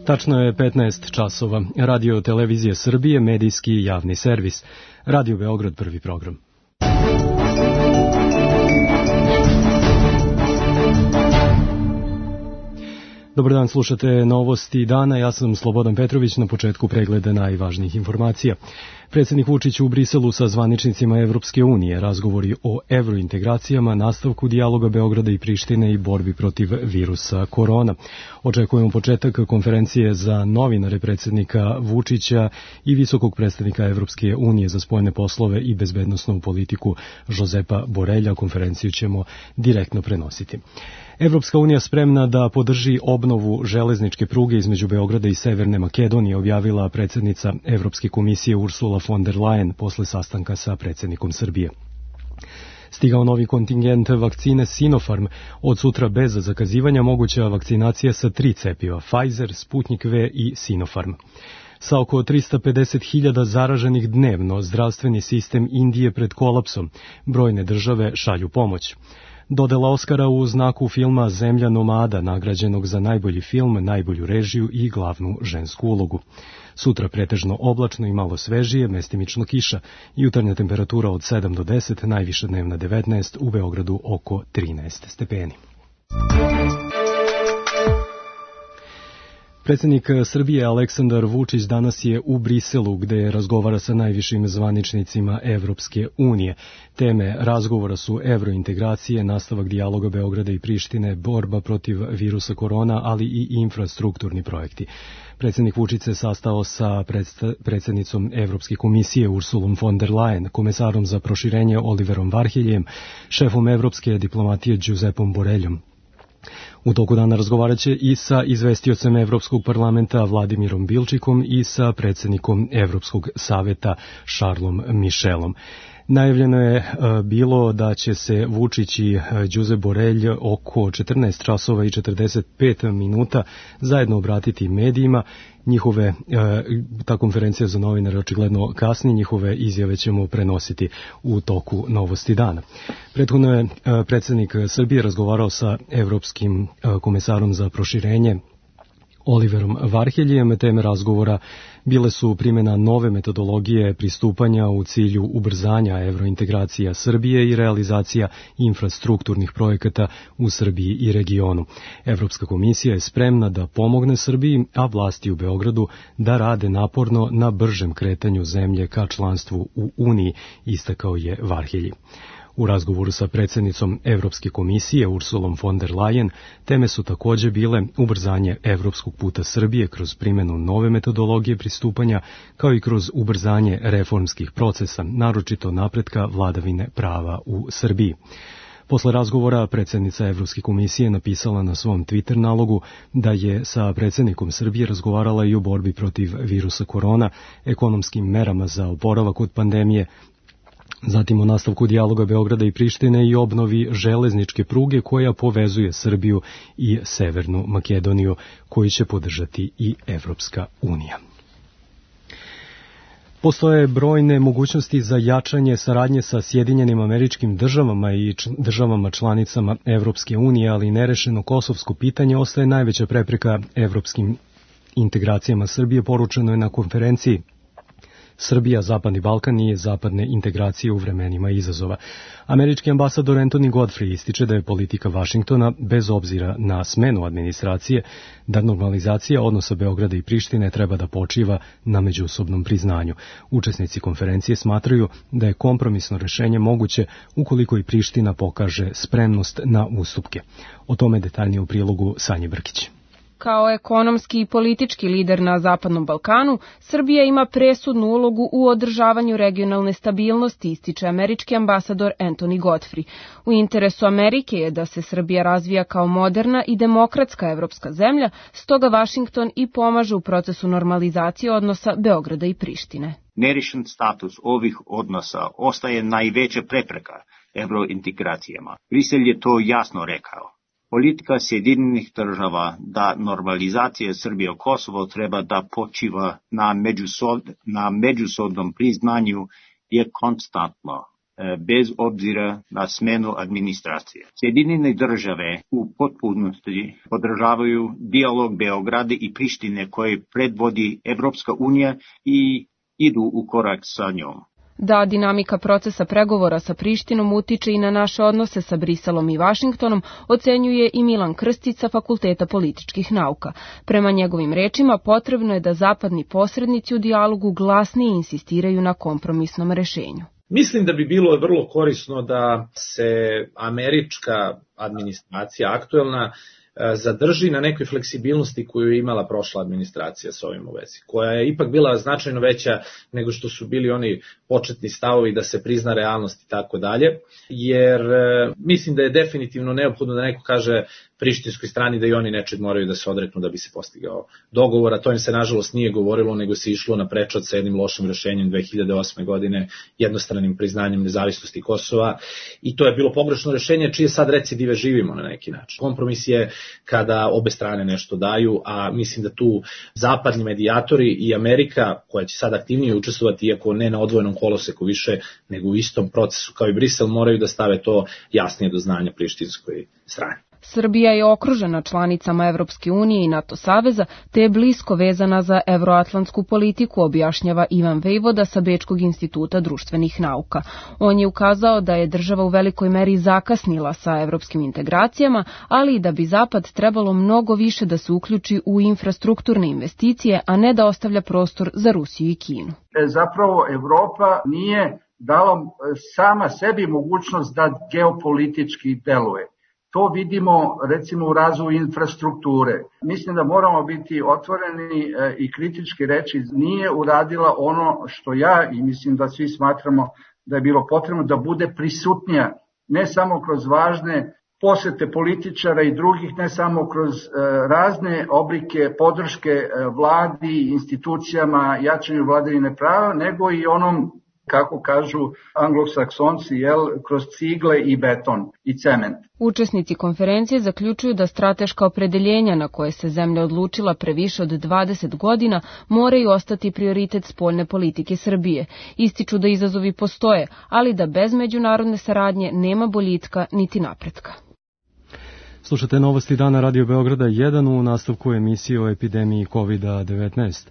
Tačno je 15 časova. Radio Televizije Srbije, medijski javni servis. Radio Beograd, prvi program. Dobar dan, slušate novosti dana. Ja sam Slobodan Petrović, na početku pregleda najvažnijih informacija. Predsjednik Vučić u Briselu sa zvaničnicima Evropske unije, razgovori o evrointegracijama, nastavku dijaloga Beograda i Prištine i borbi protiv virusa korona. Očekujemo početak konferencije za novinare predsjednika Vučića i visokog predstavnika Evropske unije za spoljne poslove i bezbednosnu politiku Josepa Borelja. Konferenciju ćemo direktno prenositi. Evropska unija spremna da podrži obnovu železničke pruge između Beograda i Severne Makedonije, objavila predsjednica Evropske komisije Ursula von der Leyen posle sastanka sa predsjednikom Srbije. Stigao novi kontingent vakcine Sinopharm, od sutra bez zakazivanja moguća vakcinacija sa 3 cepiva, Pfizer, Sputnik V i Sinopharm. Sa oko 350.000 zaraženih dnevno, zdravstveni sistem Indije pred kolapsom, brojne države šalju pomoć. Dodela Oskara u znaku filma Zemlja nomada, nagrađenog za najbolji film, najbolju režiju i glavnu žensku ulogu. Sutra pretežno oblačno i malo svežije, mestimično kiša. Jutarnja temperatura od 7 do 10, najviša dnevna 19, u Beogradu oko 13 stepeni. Predsjednik Srbije Aleksandar Vučić danas je u Briselu, gde razgovara sa najvišim zvaničnicima Evropske unije. Teme razgovora su evrointegracije, nastavak dijaloga Beograda i Prištine, borba protiv virusa korona, ali i infrastrukturni projekti. Predsjednik Vučić se sastao sa predsjednicom Evropske komisije Ursulom von der Leyen, komesarom za proširenje Oliverom Varheljem, šefom evropske diplomatije Josepom Boreljom. U toku dana razgovarat će i sa izvestiocem Evropskog parlamenta Vladimirom Bilčikom i sa predsjednikom Evropskog saveta Charlesom Michelom. Najavljeno je bilo da će se Vučić i Josep Borelj oko 14 časova i 45 minuta zajedno obratiti medijima. Ta konferencija za novinare očigledno kasni, njihove izjave ćemo prenositi u toku novosti dana. Prethodno je predsjednik Srbije razgovarao sa Evropskim komesarom za proširenje Oliverom Varheljem. Teme razgovora bile su primjena nove metodologije pristupanja u cilju ubrzanja evrointegracija Srbije i realizacija infrastrukturnih projekata u Srbiji i regionu. Evropska komisija je spremna da pomogne Srbiji, a vlasti u Beogradu da rade naporno na bržem kretanju zemlje ka članstvu u Uniji, istakao je Varhelji. U razgovoru sa predsjednicom Evropske komisije Ursulom von der Leyen teme su također bile ubrzanje evropskog puta Srbije kroz primjenu nove metodologije pristupanja, kao i kroz ubrzanje reformskih procesa, naročito napretka vladavine prava u Srbiji. Posle razgovora predsjednica Evropske komisije napisala na svom Twitter nalogu da je sa predsjednikom Srbije razgovarala i o borbi protiv virusa korona, ekonomskim merama za oporavak od pandemije, zatim o nastavku dijaloga Beograda i Prištine i obnovi železničke pruge koja povezuje Srbiju i Severnu Makedoniju, koju će podržati i Evropska unija. Postoje brojne mogućnosti za jačanje saradnje sa Sjedinjenim Američkim Državama i državama članicama Evropske unije, ali nerešeno kosovsko pitanje ostaje najveća prepreka evropskim integracijama Srbije, poručeno je na konferenciji Srbija, Zapadni Balkan i zapadne integracije u vremenima izazova. Američki ambasador Anthony Godfrey ističe da je politika Vašingtona, bez obzira na smenu administracije, da normalizacija odnosa Beograda i Prištine treba da počiva na međusobnom priznanju. Učesnici konferencije smatraju da je kompromisno rešenje moguće ukoliko i Priština pokaže spremnost na ustupke. O tome detaljnije u prilogu Sanje Brkić. Kao ekonomski i politički lider na Zapadnom Balkanu, Srbija ima presudnu ulogu u održavanju regionalne stabilnosti, ističe američki ambasador Anthony Godfrey. U interesu Amerike je da se Srbija razvija kao moderna i demokratska evropska zemlja, stoga Vašington i pomaže u procesu normalizacije odnosa Beograda i Prištine. Nerešen status ovih odnosa ostaje najveća prepreka evrointegracijama. Brisel je to jasno rekao. Politika Sjedinjenih država da normalizacija Srbije i Kosovo treba da počiva na međusobnom priznanju je konstantno. bez obzira na smenu administracije. Sjedinjene države u potpunosti podržavaju dijalog Beograda i Prištine koje predvodi Evropska unija i idu u korak sa njom. Da dinamika procesa pregovora sa Prištinom utiče i na naše odnose sa Briselom i Vašingtonom, ocenjuje i Milan Krstić sa Fakulteta političkih nauka. Prema njegovim rečima, potrebno je da zapadni posrednici u dijalogu glasnije insistiraju na kompromisnom rešenju. Mislim da bi bilo vrlo korisno da se američka administracija, aktuelna, zadrži na nekoj fleksibilnosti koju je imala prošla administracija s ovim u vezi, koja je ipak bila značajno veća nego što su bili oni početni stavovi da se prizna realnost i tako dalje, jer mislim da je definitivno neophodno da neko kaže prištinskoj strani da i oni nečeg moraju da se odreknu da bi se postigao dogovor, a to im se nažalost nije govorilo, nego se išlo na prečac sa jednim lošim rešenjem 2008. godine, jednostranim priznanjem nezavisnosti Kosova, i to je bilo pogrešno rešenje čije sad recidive živimo na neki način. Kompromis je kada obe strane nešto daju, a mislim da tu zapadni medijatori i Amerika, koja će sad aktivnije učestvovati, iako ne na odvojenom koloseku više, nego u istom procesu kao i Brisel, moraju da stave to jasnije do znanja prištinskoj strani. Srbija je okružena članicama Evropske unije i NATO saveza, te je blisko vezana za evroatlantsku politiku, objašnjava Ivan Vejvoda sa Bečkog instituta društvenih nauka. On je ukazao da je država u velikoj meri zakasnila sa evropskim integracijama, ali i da bi Zapad trebalo mnogo više da se uključi u infrastrukturne investicije, a ne da ostavlja prostor za Rusiju i Kinu. Zapravo Evropa nije dala sama sebi mogućnost da geopolitički deluje. To vidimo recimo u razvoju infrastrukture. Mislim da moramo biti otvoreni i kritički reći, nije uradila ono što ja i mislim da svi smatramo da je bilo potrebno, da bude prisutnija, ne samo kroz važne posete političara i drugih, ne samo kroz razne oblike podrške vladi, institucijama, jačanju vladavine prava, nego i onom, kako kažu anglosaksonci, kroz cigle i beton i cement. Učesnici konferencije zaključuju da strateška opredeljenja na koje se zemlja odlučila pre više od 20 godina moraju ostati prioritet spoljne politike Srbije. Ističu da izazovi postoje, ali da bez međunarodne saradnje nema boljitka niti napretka. Slušate Novosti dana Radio Beograda 1 u nastavku emisije o epidemiji COVID-19.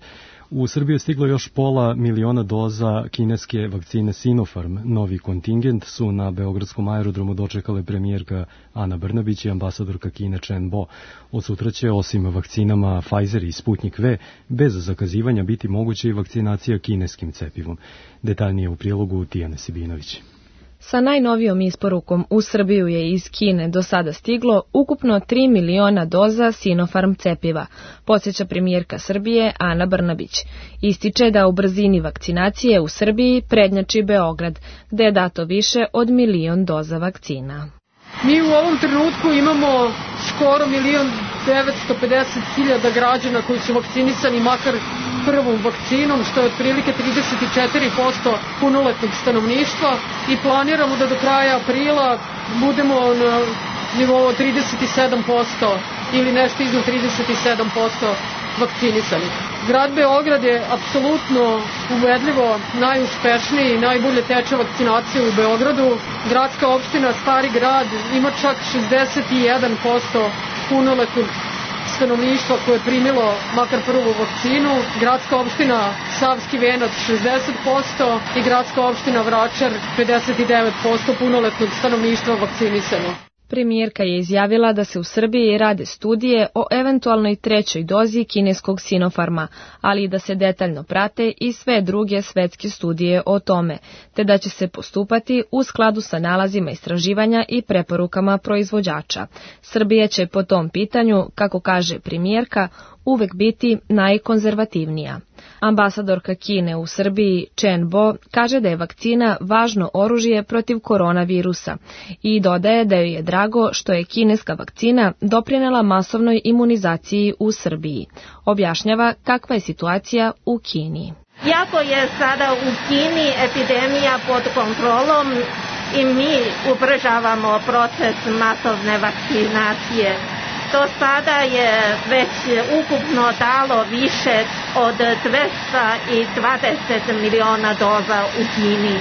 U Srbiju je stiglo još 500.000 doza kineske vakcine Sinopharm. Novi kontingent su na beogradskom aerodromu dočekale premijerka Ana Brnabić i ambasadorka Kine Chen Bo. Od sutra će, osim vakcinama Pfizer i Sputnik V, bez zakazivanja biti moguće i vakcinacija kineskim cepivom. Detaljnije u prilogu Tijane Sibinović. Sa najnovijom isporukom u Srbiju je iz Kine do sada stiglo ukupno 3 miliona doza Sinopharm cepiva, podsjeća premijerka Srbije Ana Brnabić. Ističe da u brzini vakcinacije u Srbiji prednjači Beograd, gde je dato više od 1 milion doza vakcina. Mi u ovom trenutku imamo skoro 1.950.000 građana koji su vakcinisani makar prvom vakcinom, što je otprilike 34% punoletnog stanovništva, i planiramo da do kraja aprila budemo na nivou 37% ili nešto iznad 37% vakcinisanih. Grad Beograd je apsolutno ubedljivo najuspešniji i najbolje teče vakcinacija u Beogradu. Gradska opština Stari grad ima čak 61% punoletnog stanovništva koje je primilo makar prvu vakcinu, gradska opština Savski Venac 60% i gradska opština Vračar 59% punoletnog stanovništva vakcinisano. Premijerka je izjavila da se u Srbiji rade studije o eventualnoj trećoj dozi kineskog Sinopharma, ali i da se detaljno prate i sve druge svetske studije o tome, te da će se postupati u skladu sa nalazima istraživanja i preporukama proizvođača. Srbija će po tom pitanju, kako kaže premijerka, uvek biti najkonzervativnija. Ambasadorka Kine u Srbiji Chen Bo kaže da je vakcina važno oružje protiv koronavirusa i dodaje da joj je drago što je kineska vakcina doprinela masovnoj imunizaciji u Srbiji. Objašnjava kakva je situacija u Kini. Iako je sada u Kini epidemija pod kontrolom i mi ubrzavamo proces masovne vakcinacije, do sada je već ukupno dalo više od 220 miliona doza u Kini.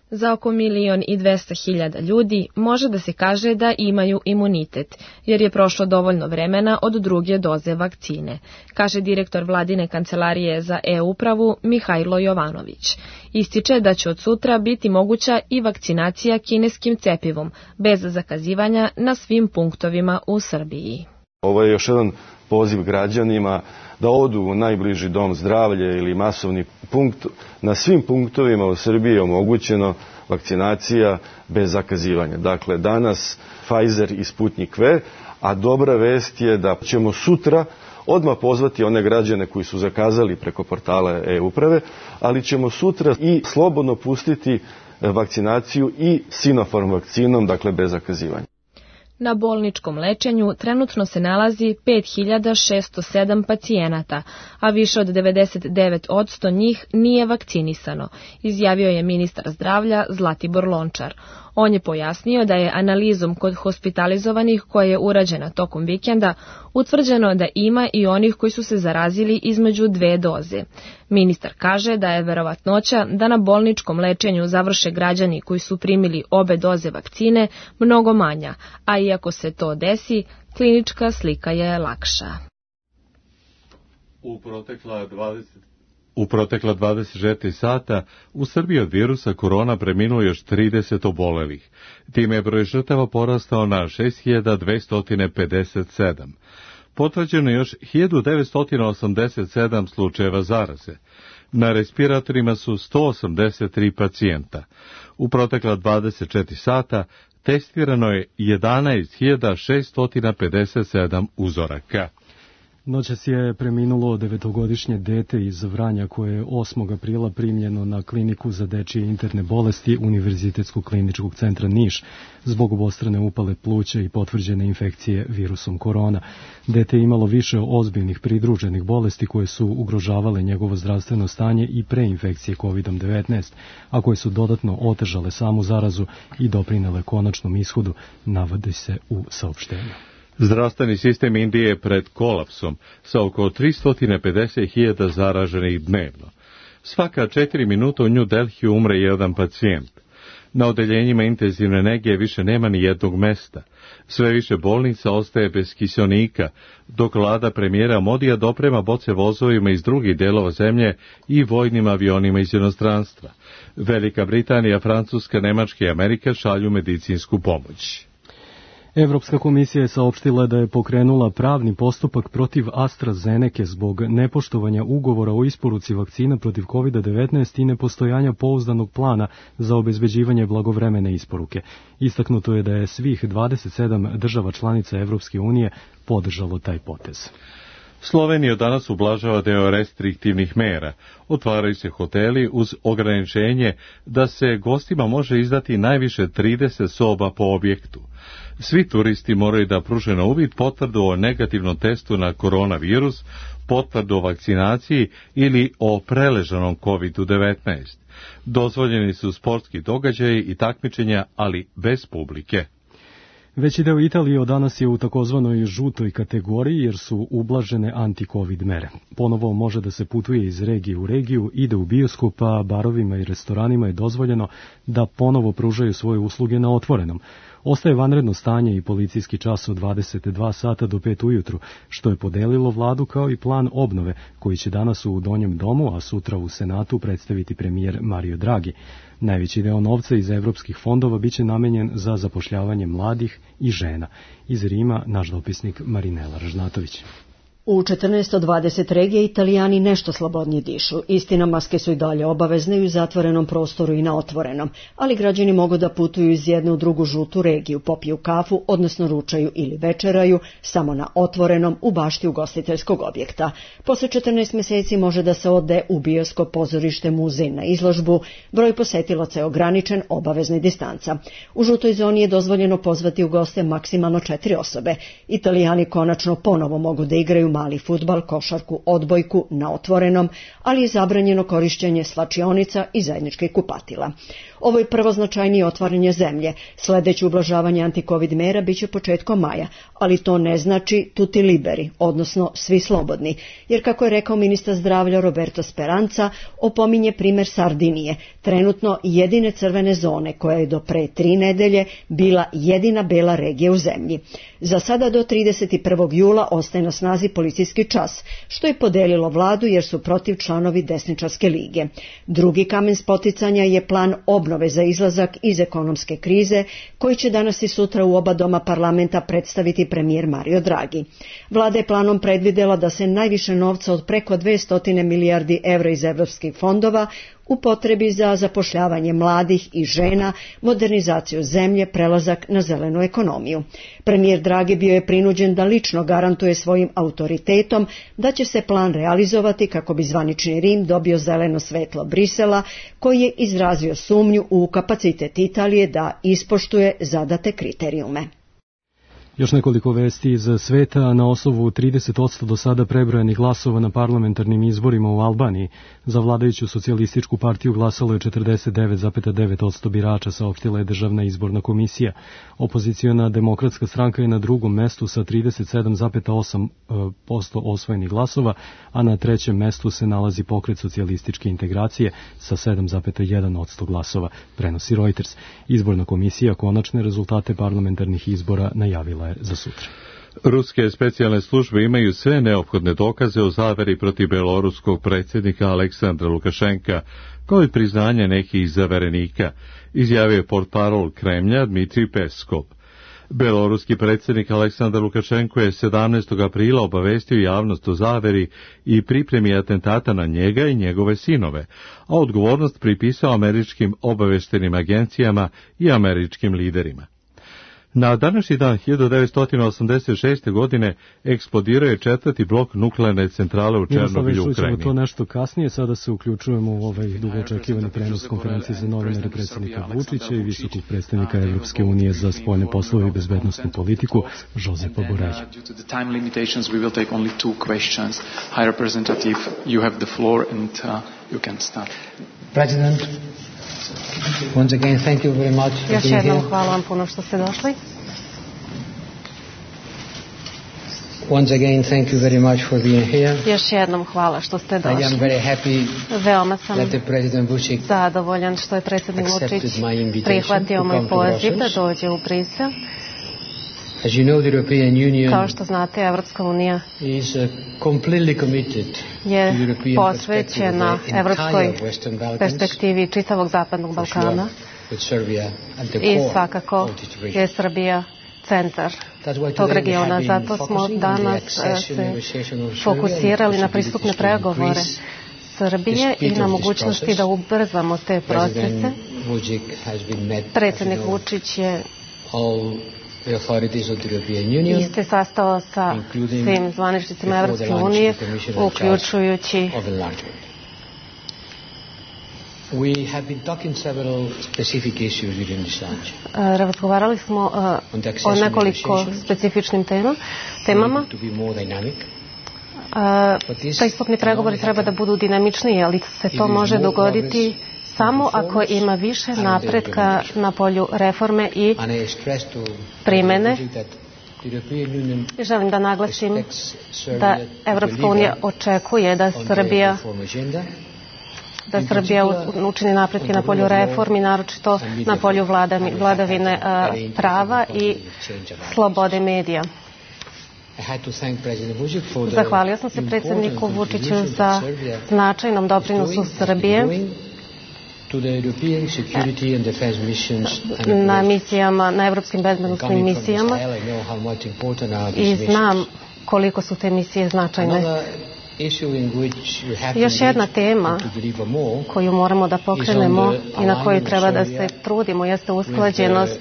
Za oko 1.200.000 ljudi može da se kaže da imaju imunitet, jer je prošlo dovoljno vremena od druge doze vakcine, kaže direktor vladine kancelarije za e-upravu Mihajlo Jovanović. Ističe da će od sutra biti moguća i vakcinacija kineskim cepivom, bez zakazivanja na svim punktovima u Srbiji. Ovo je još jedan poziv građanima da odu u najbliži dom zdravlja ili masovni punkt. Na svim punktovima u Srbiji je omogućeno vakcinacija bez zakazivanja. Dakle, danas Pfizer i Sputnik V, a dobra vest je da ćemo sutra odmah pozvati one građane koji su zakazali preko portala e-uprave, ali ćemo sutra i slobodno pustiti vakcinaciju i Sinopharm vakcinom, dakle bez zakazivanja. Na bolničkom lečenju trenutno se nalazi 5.607 pacijenata, a više od 99% njih nije vakcinisano, izjavio je ministar zdravlja Zlatibor Lončar. On je pojasnio da je analizom kod hospitalizovanih koja je urađena tokom vikenda utvrđeno da ima i onih koji su se zarazili između dve doze. Ministar kaže da je verovatnoća da na bolničkom lečenju završe građani koji su primili obe doze vakcine mnogo manja, a iako se to desi, klinička slika je lakša. U protekla 24 sata u Srbiji od virusa korona preminulo još 30 obolelih. Time je broj žrtava porastao na 6.257. Potvrđeno je još 1.987 slučajeva zaraze. Na respiratorima su 183 pacijenta. U protekla 24 sata testirano je 11.657 uzoraka. Noćas je preminulo 9-godišnje dete iz Vranja koje je 8. aprila primljeno na kliniku za dečije interne bolesti Univerzitetskog kliničkog centra Niš zbog obostrane upale pluća i potvrđene infekcije virusom korona. Dete je imalo više ozbiljnih pridruženih bolesti koje su ugrožavale njegovo zdravstveno stanje i pre infekcije COVID-19, a koje su dodatno otežale samu zarazu i doprinele konačnom ishodu, navodi se u saopštenju. Zdravstveni sistem Indije je pred kolapsom sa oko 350.000 zaraženih dnevno. Svaka 4 minuta u New Delhiju umre jedan pacijent. Na odeljenjima intenzivne nege više nema ni jednog mesta. Sve više bolnica ostaje bez kiseonika, dok vlada premijera Modija doprema boce vozovima iz drugih delova zemlje i vojnim avionima iz inostranstva. Velika Britanija, Francuska, Nemačka i Amerika šalju medicinsku pomoć. Evropska komisija je saopštila da je pokrenula pravni postupak protiv AstraZeneke zbog nepoštovanja ugovora o isporuci vakcina protiv COVID-19 i nepostojanja pouzdanog plana za obezbeđivanje blagovremene isporuke. Istaknuto je da je svih 27 država članica Evropske unije podržalo taj potez. Slovenija danas ublažava deo restriktivnih mera. Otvaraju se hoteli uz ograničenje da se gostima može izdati najviše 30 soba po objektu. Svi turisti moraju da pruže na uvid potvrdu o negativnom testu na koronavirus, potvrdu o vakcinaciji ili o preležanom COVID-19. Dozvoljeni su sportski događaji i takmičenja, ali bez publike. Veći deo Italije od danas je u takozvanoj žutoj kategoriji jer su ublažene anti-covid mere. Ponovo može da se putuje iz regije u regiju, ide u bioskop, a barovima i restoranima je dozvoljeno da ponovo pružaju svoje usluge na otvorenom. Ostaje vanredno stanje i policijski čas od 22 sata do 5 ujutru, što je podelilo vladu kao i plan obnove, koji će danas u Donjem domu, a sutra u Senatu predstaviti premijer Mario Draghi. Najveći deo novca iz evropskih fondova biće namenjen za zapošljavanje mladih i žena. Iz Rima naš dopisnik Marinela Ražnatović. U 14 od 20 regija Italijani nešto slobodnije dišu. Istina, maske su i dalje obavezne i u zatvorenom prostoru i na otvorenom, ali građani mogu da putuju iz jedne u drugu žutu regiju, popiju kafu, odnosno ručaju ili večeraju, samo na otvorenom u bašti ugostiteljskog objekta. Posle 14 meseci može da se ode u bioskop, pozorište, muzej, na izložbu. Broj posetilaca je ograničen, obavezna distanca. U žutoj zoni je dozvoljeno pozvati u goste maksimalno 4 osobe. Italijani konačno ponovo mogu da igraju mali fudbal, košarku, odbojku na otvorenom, ali je zabranjeno korišćenje slačionica i zajedničkih kupatila. Ovo je prvo značajnije otvaranje zemlje. Sledeće ublažavanje antikovid mera biće početkom maja, ali to ne znači tutti liberi, odnosno svi slobodni, jer kako je rekao ministar zdravlja Roberto Speranza, opominje primer Sardinije, trenutno jedine crvene zone koja je do pre 3 nedelje bila jedina bela regija u zemlji. Za sada do 31. jula ostaje na snazi policijski čas, što je podelilo vladu jer su protiv članovi desničarske lige. Drugi kamen spoticanja je plan obnove za izlazak iz ekonomske krize, koji će danas i sutra u oba doma parlamenta predstaviti premijer Mario Draghi. Vlada je planom predvidela da se najviše novca od preko 200 milijardi evra iz evropskih fondova upotrebi za zapošljavanje mladih i žena, modernizaciju zemlje, prelazak na zelenu ekonomiju. Premijer Draghi bio je prinuđen da lično garantuje svojim autoritetom da će se plan realizovati kako bi zvanični Rim dobio zeleno svetlo Brisela, koji je izrazio sumnju u kapacitet Italije da ispoštuje zadate kriterijume. Još nekoliko vesti iz sveta. Na osnovu 30% do sada prebrojanih glasova na parlamentarnim izborima u Albaniji za vladajuću socijalističku partiju glasalo je 49,9% birača, saopštila je Državna izborna komisija. Opoziciona demokratska stranka je na drugom mestu sa 37,8% osvojenih glasova, a na trećem mestu se nalazi Pokret socijalističke integracije sa 7,1% glasova, prenosi Reuters. Izborna komisija konačne rezultate parlamentarnih izbora najavila za sutra. Ruske specijalne službe imaju sve neophodne dokaze o zaveri protiv beloruskog predsjednika Aleksandra Lukašenka, kao i priznanje nekih zaverenika, izjavio je portparol Kremlja Dmitrij Peskov. Beloruski predsjednik Aleksandar Lukašenko je 17. aprila obavestio javnost o zaveri i pripremi atentata na njega i njegove sinove, a odgovornost pripisao američkim obaveštenim agencijama i američkim liderima. Na današnji dan 1986. godine eksplodirao je 4. blok nuklearne centrale u Černobilju, u Ukrajini. To nešto kasnije, sada se uključujemo u ovaj dugo očekivani prenos konferencije za novinare predsjednika Vučića i visokog predstavnika Evropske unije za spoljne poslove i bezbednosnu politiku, Žozefa Borelja. President, once again, thank you very much for Još jednom hvala vam puno što ste došli. Once again, thank you very much for being here. Još jednom hvala što ste došli. I am very happy Veoma sam that the President Vučić zadovoljan što je predsjednik Vučić prihvatio moj poziv da dođe u Brisel. As you know, the European Union Kao što znate, Evropska unija is completely committed je posvećena evropskoj perspektivi čitavog zapadnog Balkana i svakako je Srbija centar tog regiona. Zato smo danas se fokusirali na pristupne pregovore Srbije i na mogućnosti da ubrzamo te procese. Predsjednik Vučić je se sastao sa svim zvaničnicima Evropske unije, uključujući razgovarali smo o nekoliko specifičnim temama. Pristupni pregovori treba da budu dinamičniji, ali se to može dogoditi samo ako ima više napretka na polju reforme i primene. Želim da naglasim da Evropska unija očekuje da Srbija učini napretke na polju reformi, naročito na polju vladavine prava i slobode medija. Zahvalio sam se predsjedniku Vučiću za značajnom doprinosu Srbije na misijama, na evropskim bezbednosnim misijama i znam koliko su te misije značajne. Još jedna tema koju moramo da pokrenemo i na koju treba da se trudimo jeste usklađenost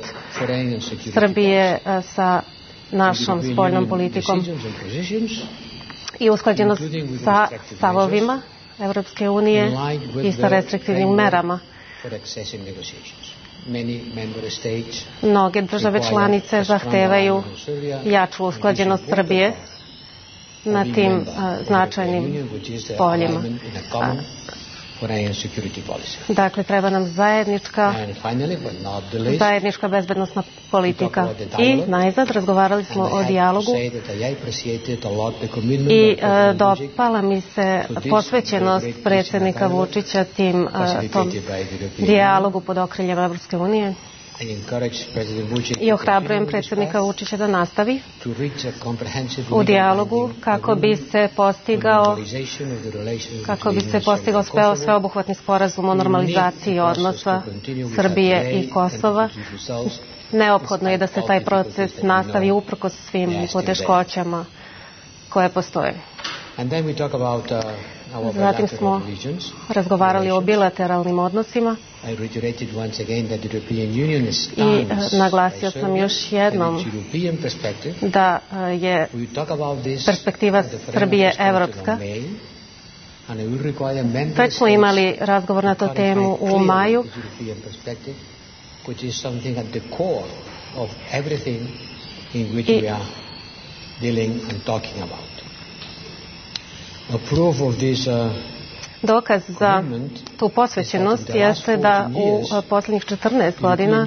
Srbije sa našom spoljnom politikom i usklađenost sa stavovima Evropske unije i sa restriktivnim merama. Mnoge države članice zahtevaju jaču usklađenost Srbije na tim značajnim poljima. Dakle, treba nam zajednička bezbednosna politika. I najzad razgovarali smo o dijalogu i dopala mi se posvećenost predsjednika Vučića tom dijalogu pod okriljem Evropske unije. I ohrabrujem predsjednika Vučića da nastavi u dijalogu kako bi se postigao sveobuhvatni sporazum o normalizaciji odnosa Srbije i Kosova. Neophodno je da se taj proces nastavi uprkos svim poteškoćama koje postoje. Zatim smo razgovarali o bilateralnim odnosima i naglasio sam još jednom da je perspektiva Srbije evropska. Već smo imali razgovor na tu temu u maju dokaz za tu posvećenost jeste da u posljednjih 14 godina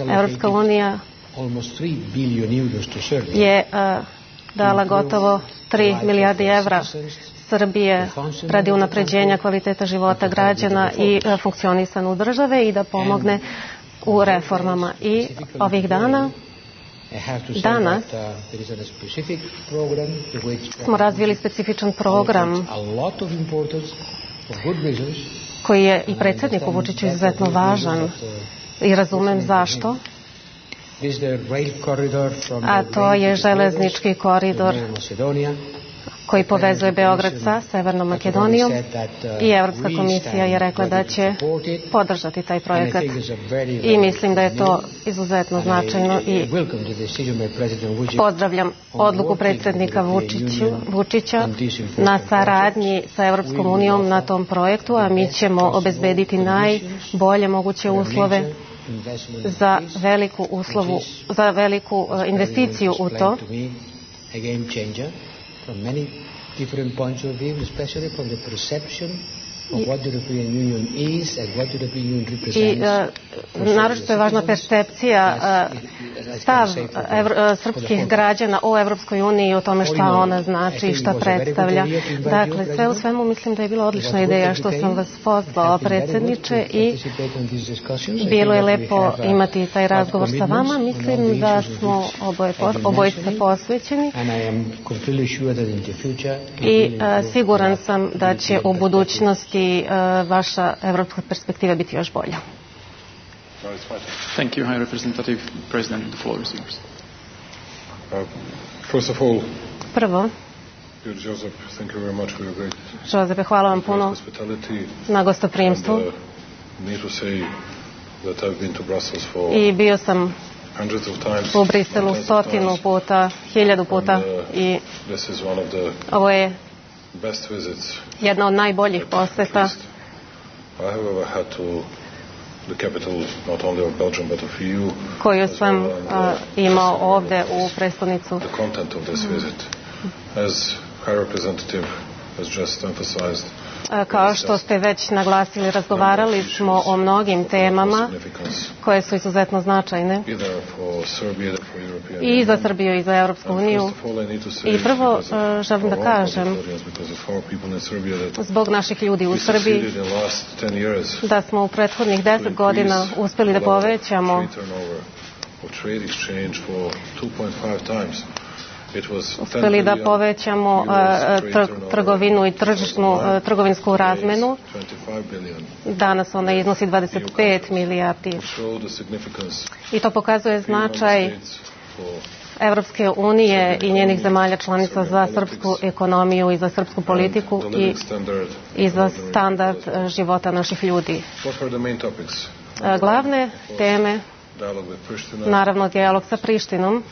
Evropska unija je dala gotovo 3 milijardi evra Srbije radi unapređenja kvaliteta života građana i funkcionisanja države i da pomogne u reformama. I ovih danas smo razvili specifičan program koji je i predsjedniku Vučiću izuzetno važan i razumem zašto. A to je železnički koridor koji povezuje Beograd sa Severnom Makedonijom i Evropska komisija je rekla da će podržati taj projekat i mislim da je to izuzetno značajno i pozdravljam odluku predsjednika Vučića na saradnji sa Evropskom unijom na tom projektu, a mi ćemo obezbediti najbolje moguće uslove za veliku investiciju u to. From many different points of view, especially from the perception of what the European Union is and what the European Union represents. I naročito je važna percepcija, stav srpskih građana o Evropskoj uniji i o tome šta ona znači i šta predstavlja. Dakle, sve u svemu mislim da je bila odlična ideja što sam vas pozvao, predsjedniče, i bilo je lepo imati taj razgovor sa vama. Mislim da smo obojice posvećeni i siguran sam da će u budućnosti vaša evropska perspektiva biti još bolja. Thank you, High Representative President. The floor is yours. First of all, prvo, Joseph, thank you very much for your great Jozefe, hvala vam puno na gostoprimstvu. I bio sam u Briselu 100 puta, 1000 puta i ovo je jedna od najboljih poseta koju sam imao ovde u prestonicu. Kao što ste već naglasili, razgovarali smo o mnogim temama koje su izuzetno značajne i za Srbiju i za Evropsku uniju. I prvo želim da kažem, zbog naših ljudi u Srbiji, da smo u prethodnih 10 godina uspeli da povećamo trgovinu i trgovinsku razmenu. Danas ona iznosi 25 milijardi. I to pokazuje značaj Evropske unije i njenih zemalja članica za srpsku ekonomiju i za srpsku politiku i za standard života naših ljudi. Glavne teme, naravno dijalog sa Prištinom.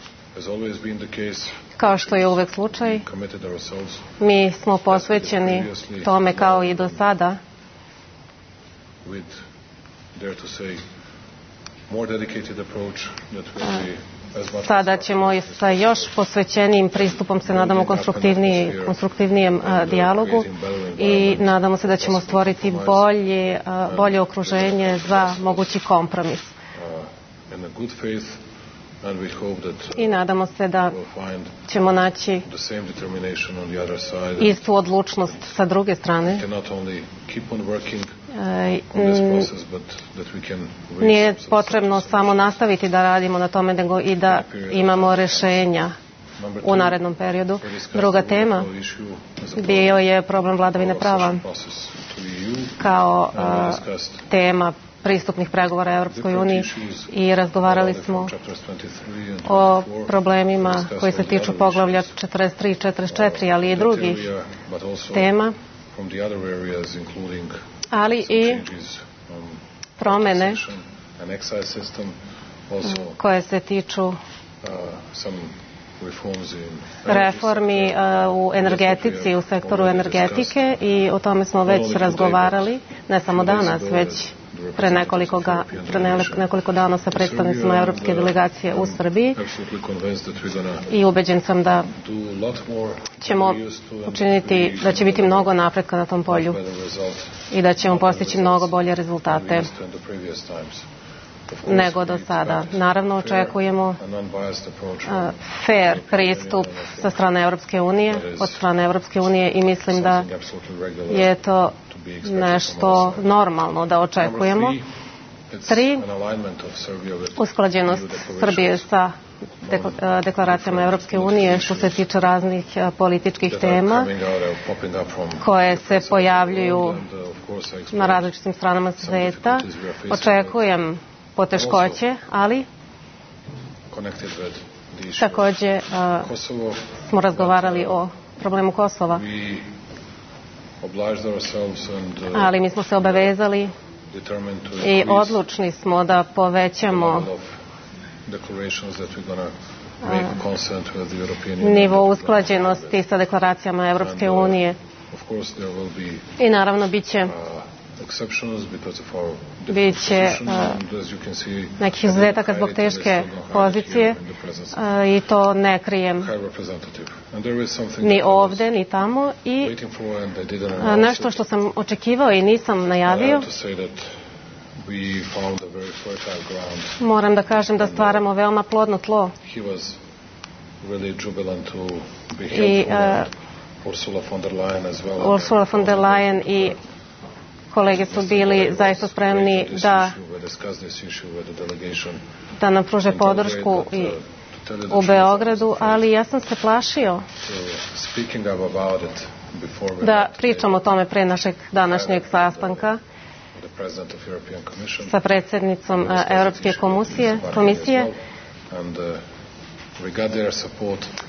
Kao što je uvek slučaj, mi smo posvećeni tome kao i do sada. sada ćemo sa još posvećenijim pristupom se nadamo konstruktivnijem dijalogu i nadamo se da ćemo stvoriti bolje okruženje za mogući kompromis. I nadamo se da ćemo naći istu odlučnost sa druge strane. Nije potrebno samo nastaviti da radimo na tome, nego i da imamo rešenja u narednom periodu. Druga tema bio je problem vladavine prava kao tema pristupnih pregovora Europskoj uniji i razgovarali smo o problemima koji se tiču poglavlja 43 i 44, ali i drugih tema, ali i promene koje se tiču reformi u energetici, u sektoru energetike i o tome smo već razgovarali, ne samo danas, već pre nekoliko dana sa predstavnicima Evropske delegacije u Srbiji i ubeđen sam da ćemo učiniti, da će biti mnogo napretka na tom polju i da ćemo postići mnogo bolje rezultate nego do sada. Naravno, očekujemo fair pristup sa strane Evropske unije, od strane Evropske unije i mislim da je to nešto normalno da očekujemo. 3. Usklađenost Srbije sa deklaracijama Evropske unije što se tiče raznih političkih tema koje se pojavljuju na različitim stranama sveta. Očekujem poteškoće, ali također smo razgovarali o problemu Kosova. Ali mi smo se obavezali i odlučni smo da povećamo nivo usklađenosti sa deklaracijama Evropske unije. I naravno bit će nekih izuzetaka zbog teške pozicije i to ne krijem ni ovde ni tamo i nešto što sam očekivao i nisam najavio, moram da kažem da stvaramo veoma plodno tlo i Ursula von der Leyen i kolege su bili zaista spremni da nam pruže podršku u Beogradu, ali ja sam se plašio da pričam o tome pre našeg današnjeg sastanka sa predsjednicom Europske komisije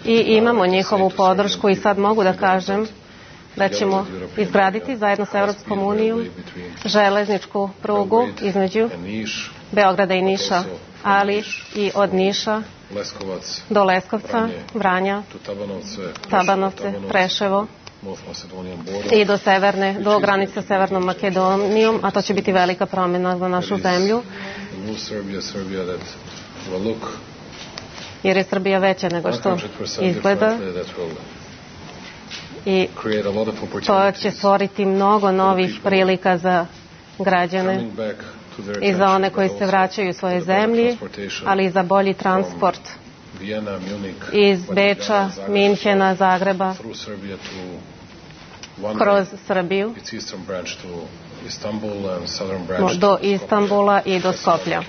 i imamo njihovu podršku i sad mogu da kažem da ćemo izgraditi zajedno sa Europskom unijom železničku prugu između Beograda i Niša, ali i od Niša do Leskovca, Vranja, Tabanovce, Preševo i do granice sa Severnom Makedonijom, a to će biti velika promjena za našu zemlju. Jer je Srbija veća nego što izgleda. I to će stvoriti mnogo novih prilika za građane i za one koji se vraćaju u svoje zemlji, ali i za bolji transport iz Beča, Minhena, Zagreba kroz Srbiju do Istanbula i do Skoplja.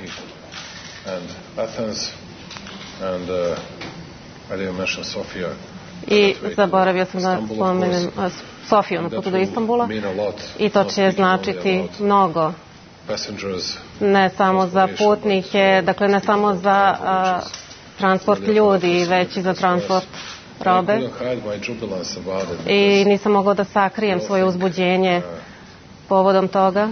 I zaboravio sam da spomenem Sofiju na putu do Istanbula i to će značiti mnogo ne samo za putnike, dakle ne samo za transport ljudi, već i za transport robe. I nisam mogao da sakrijem svoje uzbuđenje povodom toga.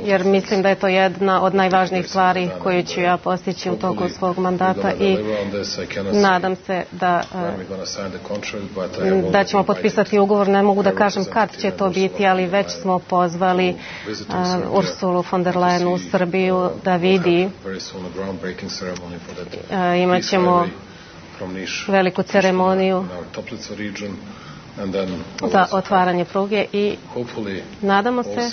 jer mislim da je to jedna od najvažnijih stvari koju ću ja postići u toku svog mandata i nadam se da ćemo potpisati ugovor. Ne mogu da kažem kad će to biti, ali već smo pozvali Ursulu von der Leyen u Srbiju da vidi. Imat ćemo veliku ceremoniju za otvaranje pruge i nadamo se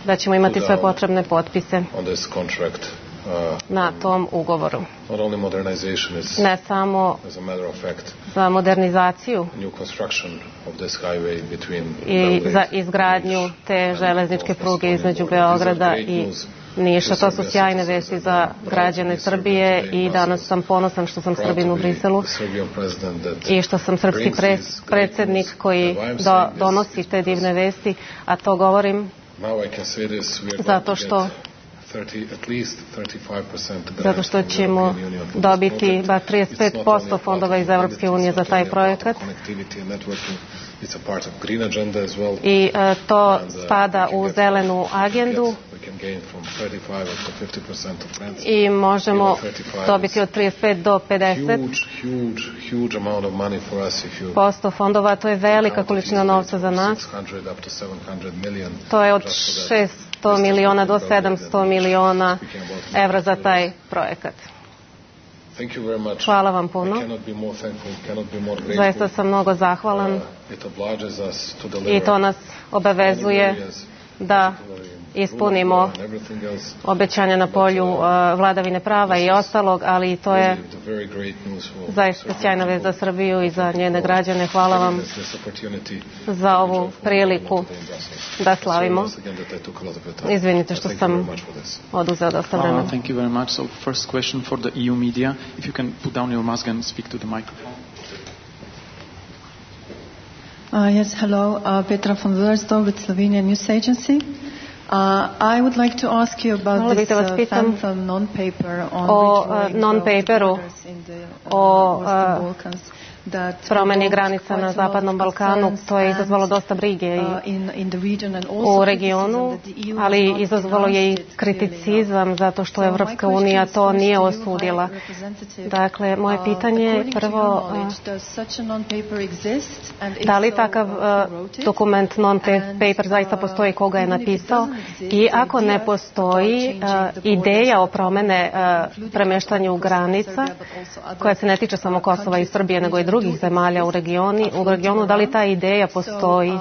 da ćemo imati sve potrebne potpise na tom ugovoru. Ne samo za modernizaciju i za izgradnju te železničke pruge između Beograda i Niša. To su sjajne vesti za građane Srbije i danas sam ponosan što sam Srbin u Briselu i što sam srpski predsjednik koji donosi te divne vesti, a to govorim zato što ćemo dobiti bar 35% fondova iz Evropske unije za taj projekat i to spada u zelenu agendu i možemo dobiti od 35 do 50% fondova. To je velika količina novca za nas. To je od 600 miliona do 700 miliona evra za taj projekat. Hvala vam puno. Zaista sam mnogo zahvalan i to nas obavezuje da ispunimo obećanja na polju vladavine prava i ostalog, ali to je zaista sjajna vest za Srbiju i za njene građane. Hvala vam za ovu priliku da slavimo. Izvinite što sam oduzeo dosta vremena. Thank you very much. So first question for the EU media. If you can put down your mask and speak to the microphone. Yes, hello. Petra von Wursdorf with Slovenian News Agency. I would like to ask you about this phantom non-paper on non-paperu o promeni granica na Zapadnom Balkanu. To je izazvalo dosta brige u regionu, ali izazvalo je i kriticizam zato što Evropska unija to nije osudila. Dakle, moje pitanje je prvo, da li takav dokument non-paper zaista postoji, koga je napisao, i ako ne postoji ideja o premeštanju granica koja se ne tiče samo Kosova i Srbije nego i drugih zemalja u regionu, da li ta ideja postoji?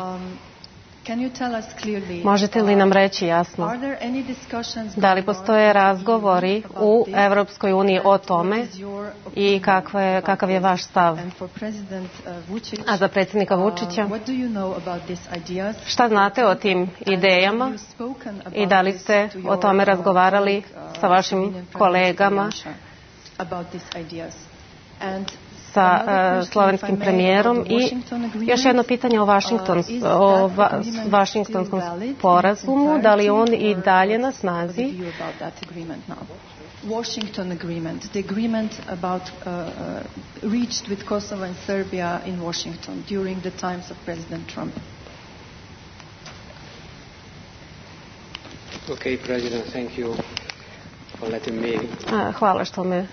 Možete li nam reći jasno da li postoje razgovori u Evropskoj uniji o tome i kakav je vaš stav? A za predsjednika Vučića, šta znate o tim idejama i da li ste o tome razgovarali sa vašim kolegama, sa slovenskim premijerom? I još jedno pitanje o Vašingtonskom sporazumu, da li on i dalje na snazi? Washington agreement, the agreement about reached with Kosovo and Serbia in Washington during the times of President Trump. Okay, President, thank you for letting me. Hvala što me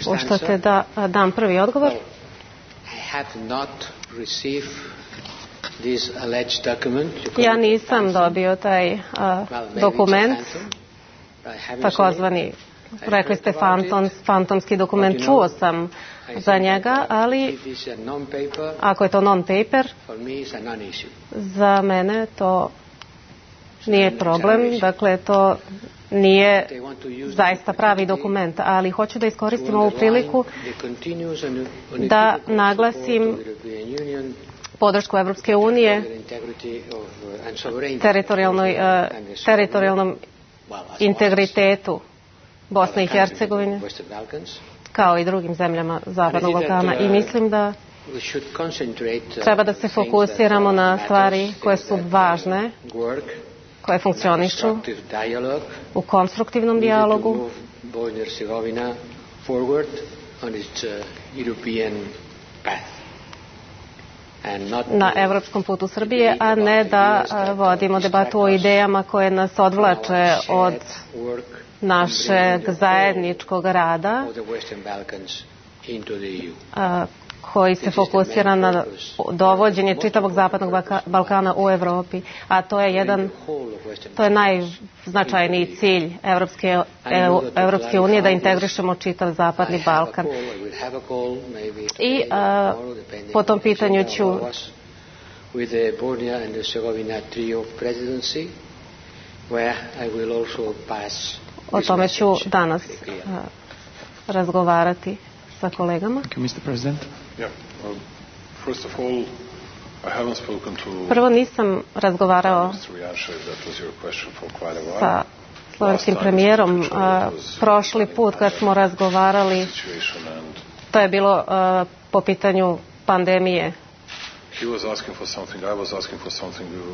puštate da dam prvi odgovor. Ja nisam dobio taj dokument, takozvani, rekli ste fantomski dokument, čuo sam za njega, ali ako je to non-paper, za mene to nije problem, dakle to nije zaista pravi dokument, ali hoću da iskoristim ovu priliku da naglasim podršku Evropske unije teritorijalnom integritetu Bosne i Hercegovine kao i drugim zemljama Zapadnog Balkana, i mislim da treba da se fokusiramo na stvari koje su važne, koje funkcionišu u konstruktivnom dijalogu na evropskom putu Srbije, a ne da vodimo debatu o idejama koje nas odvlače od našeg zajedničkog rada koji se fokusira na dovođenje čitavog zapadnog Balkana u Evropi, a to je najznačajniji cilj Evropske unije, da integrišemo čitav zapadni Balkan. I po tom pitanju ću o tome ću danas razgovarati sa kolegama. Prvo, nisam razgovarao sa slovenskim premijerom. Prošli put kad smo razgovarali, to je bilo po pitanju pandemije.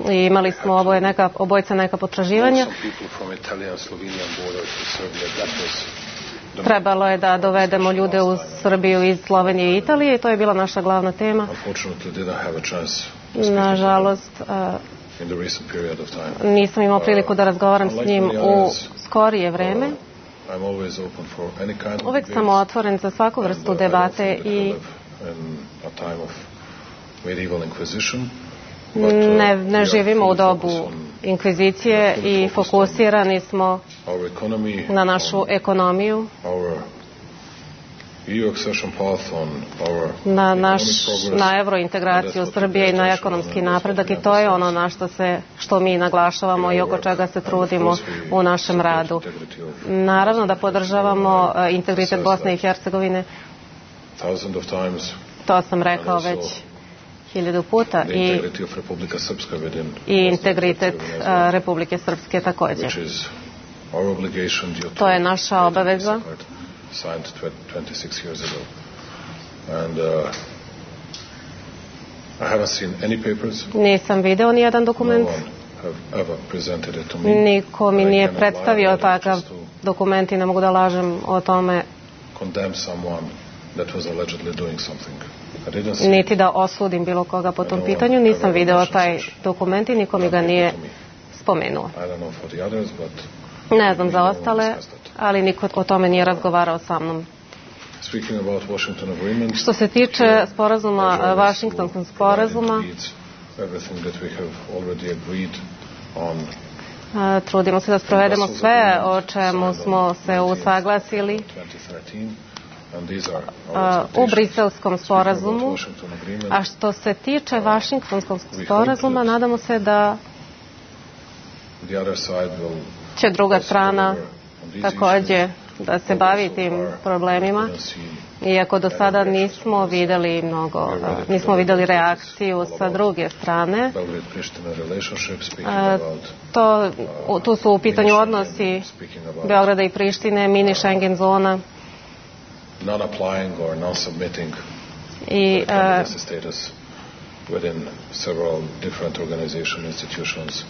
I imali smo obojica neka potraživanja. Trebalo je da dovedemo ljude u Srbiju iz Slovenije i Italije i to je bila naša glavna tema. Nažalost, nisam imao priliku da razgovaram s njim u skorije vreme. Uvijek sam otvoren za svaku vrstu debate i ne živimo u dobu inkvizicije i fokusirani smo na našu ekonomiju, na evrointegraciju Srbije i na ekonomski napredak, i to je ono što mi naglašavamo i oko čega se trudimo u našem radu. Naravno da podržavamo integritet Bosne i Hercegovine, to sam rekao već 1000 puta, i integritet Republike Srpske također. To je naša obaveza. Nisam video ni jedan dokument. Niko mi nije predstavio takav dokument i ne mogu da lažem o tome, niti da osudim bilo koga po tom pitanju. Nisam video taj dokument i niko mi ga nije spomenuo. Ne znam za ostale, ali niko o tome nije razgovarao sa mnom. Što se tiče sporazuma, Vašingtonskog sporazuma, trudimo se da sprovedemo sve o čemu smo se usaglasili u Briselskom sporazumu, a što se tiče Vašingtonskog sporazuma, nadamo se da će druga strana također da se bavi tim problemima, iako do sada nismo vidjeli reakciju sa druge strane. Tu su u pitanju odnosi Beograda i Prištine, mini Schengen zona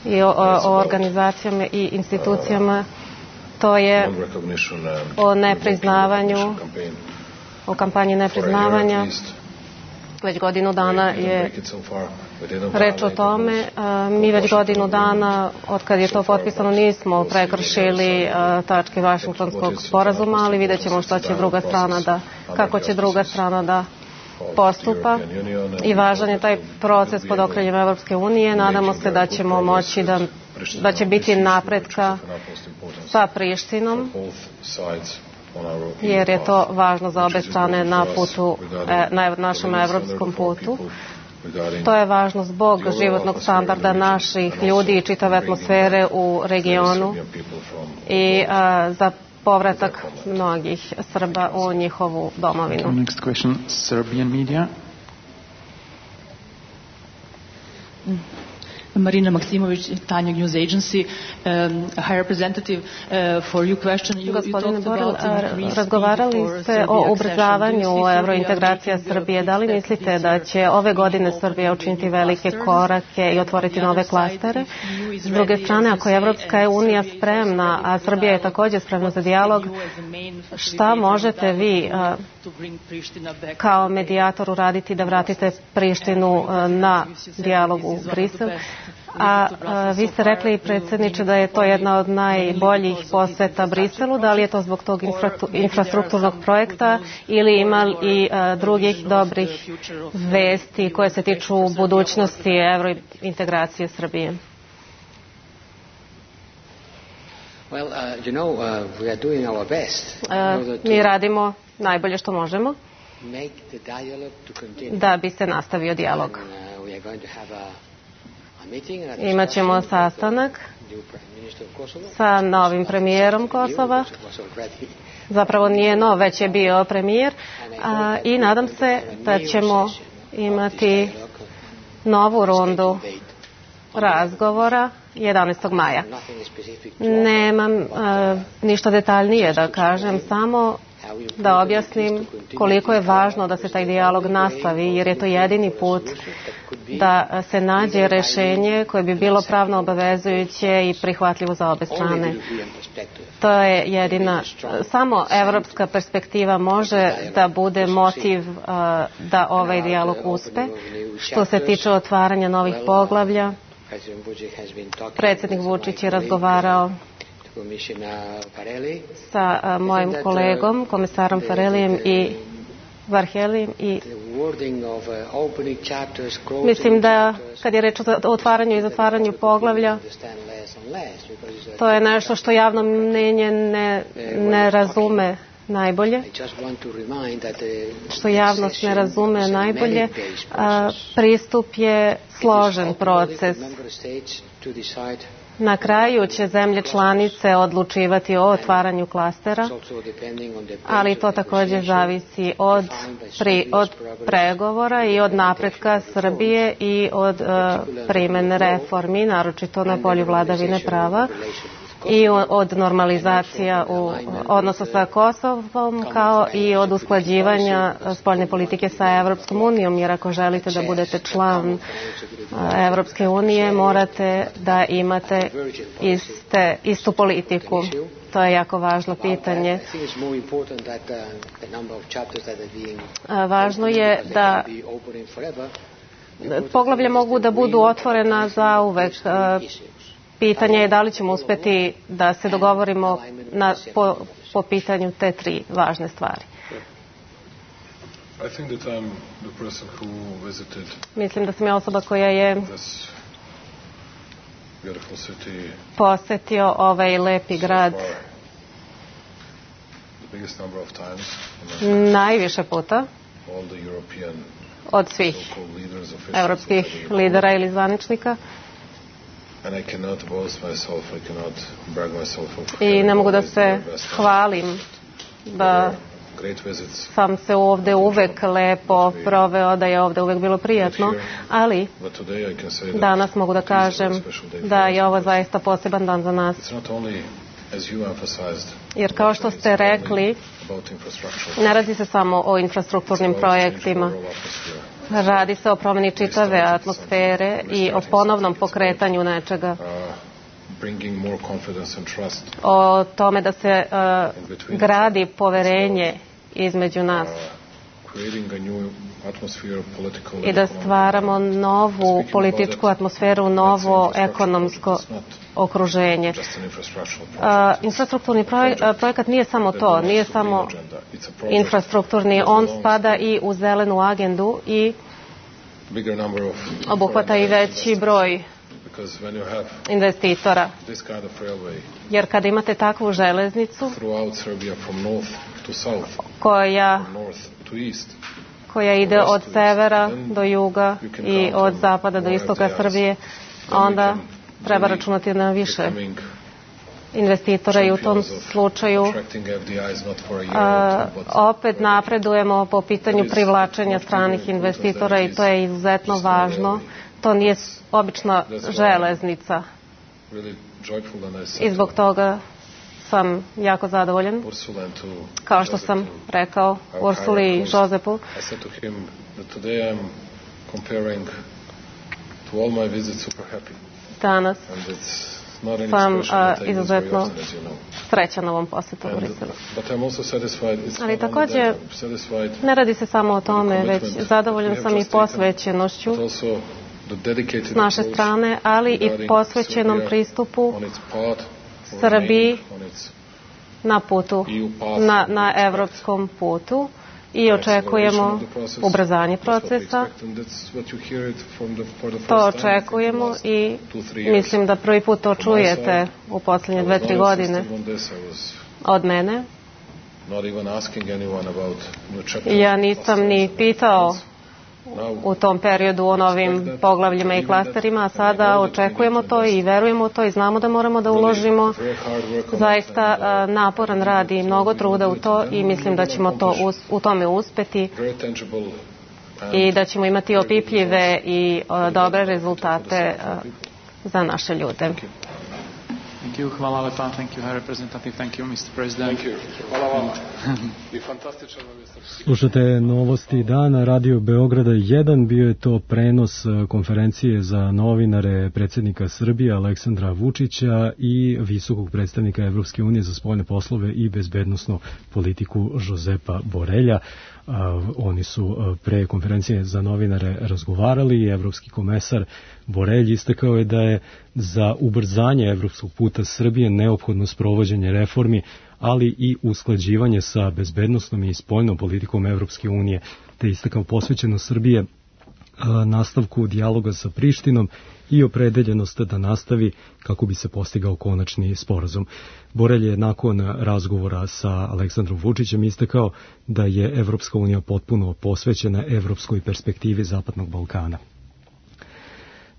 i o organizacijama i institucijama. To je o nepriznavanju, o kampanji nepriznavanja. Već godinu dana je reč o tome. Mi već godinu dana, od kad je to potpisano, nismo prekršili tačke Vašingtonskog sporazuma, ali vidjet ćemo kako će druga strana da postupa. I važan je taj proces pod okriljem Evropske unije. Nadamo se da ćemo moći da će biti napretka sa Prištinom, jer je to važno za obe strane na našem evropskom putu. To je važno zbog životnog standarda naših ljudi i čitave atmosfere u regionu i za povratak mnogih Srba u njihovu domovinu. Next question, Serbian media. Marina Maksimović, Tanja News Agency. High Representative, for your question, you Gospodine Borel, razgovarali ste o ubrzavanju evrointegracija Srbije. Da li mislite da će ove godine Srbija učiniti velike korake i otvoriti nove klastere? S druge strane, ako je Evropska unija spremna, a Srbija je također spremna za dijalog, šta možete vi kao medijator uraditi da vratite Prištinu na dijalog u Brisel? A vi ste rekli, predsjedniče, da je to jedna od najboljih poseta Briselu. Da li je to zbog tog infrastrukturnog projekta ili ima i drugih dobrih vesti koje se tiču budućnosti evrointegracije Srbije? Mi radimo najbolje što možemo da bi se nastavio dijalog. Imaćemo sastanak sa novim premijerom Kosova. Zapravo nije nov, već je bio premijer. I nadam se da ćemo imati novu rundu razgovora 11. maja. Nemam ništa detaljnije da kažem, samo da objasnim koliko je važno da se taj dijalog nastavi, jer je to jedini put da se nađe rješenje koje bi bilo pravno obavezujuće i prihvatljivo za obe strane. To je jedina, samo evropska perspektiva može da bude motiv da ovaj dijalog uspe. Što se tiče otvaranja novih poglavlja, predsjednik Vučić je razgovarao sa mojim kolegom, komisarom Farelijem i Varhelijem, i mislim da kad je reč o otvaranju i zatvaranju poglavlja, to je nešto što javno mnenje ne razume najbolje, što javnost ne razume najbolje. Pristup je složen proces. Na kraju će zemlje članice odlučivati o otvaranju klastera, ali to također zavisi od pregovora i od napretka Srbije i od primjene reformi, naročito na polju vladavine prava, i od normalizacija u odnosu sa Kosovom, kao i od usklađivanja spoljne politike sa Evropskom unijom, jer ako želite da budete član Evropske unije, morate da imate istu politiku. To je jako važno pitanje. Važno je da poglavlja mogu da budu otvorena zauvek. Pitanje je da li ćemo uspjeti da se dogovorimo po pitanju te tri važne stvari. Mislim da sam ja osoba koja je posjetio ovaj lepi grad najviše puta od svih evropskih lidera ili zvaničnika. I ne mogu da se hvalim da sam se ovdje uvek lepo proveo, da je ovdje uvek bilo prijatno, ali danas mogu da kažem da je ovo zaista poseban dan za nas. Jer kao što ste rekli, ne radi se samo o infrastrukturnim projektima. Radi se o promjeni čitave atmosfere i o ponovnom pokretanju nečega. O tome da se gradi poverenje između nas i da stvaramo novu političku atmosferu, novo ekonomsko okruženje. Infrastrukturni projekat nije samo to, nije samo infrastrukturni, on spada i u zelenu agendu i obuhvata i veći broj investitora. Jer kada imate takvu železnicu koja ide od severa do juga i od zapada do istoka Srbije, onda treba računati na više investitora i u tom slučaju opet napredujemo po pitanju privlačenja stranih investitora i to je izuzetno važno to nije obična železnica. I zbog toga sam jako zadovoljan, kao što sam rekao Ursuli i Josepu. Danas sam izuzetno srećan na ovom posjetu u Briselu. Ali također ne radi se samo o tome, već zadovoljan sam i posvećenošću s naše strane, ali i posvećenom pristupu Srbiji na putu, na evropskom putu. I očekujemo ubrzanje procesa. To očekujemo i mislim da prvi put to čujete u posljednje 2-3 godine od mene. Ja nisam ni pitao u tom periodu o novim poglavljima i klasterima, a sada očekujemo to i verujemo u to i znamo da moramo da uložimo zaista naporan rad i mnogo truda u to i mislim da ćemo u tome uspeti i da ćemo imati opipljive i dobre rezultate za naše ljude. Thank you. Hvala lepa. Thank you, High Representative. Thank you, Mr. President. Thank you. Hvala vam. I fantastičan vam je. Slušate novosti dana Radio Beograda 1. Bio je to prenos konferencije za novinare predsjednika Srbije Aleksandra Vučića i visokog predstavnika Evropske unije za spoljne poslove i bezbednosnu politiku Josepa Borelja. Oni su pre konferencije za novinare razgovarali i evropski komesar Borelj istakao je da je za ubrzanje evropskog puta Srbije neophodno sprovođenje reformi, ali i usklađivanje sa bezbednosnom i spoljnom politikom Evropske unije, te istakao posvećenost Srbije nastavku dijaloga sa Prištinom i opredeljenost da nastavi kako bi se postigao konačni sporazum. Borelj je nakon razgovora sa Aleksandrom Vučićem istakao da je Evropska unija potpuno posvećena evropskoj perspektivi Zapadnog Balkana.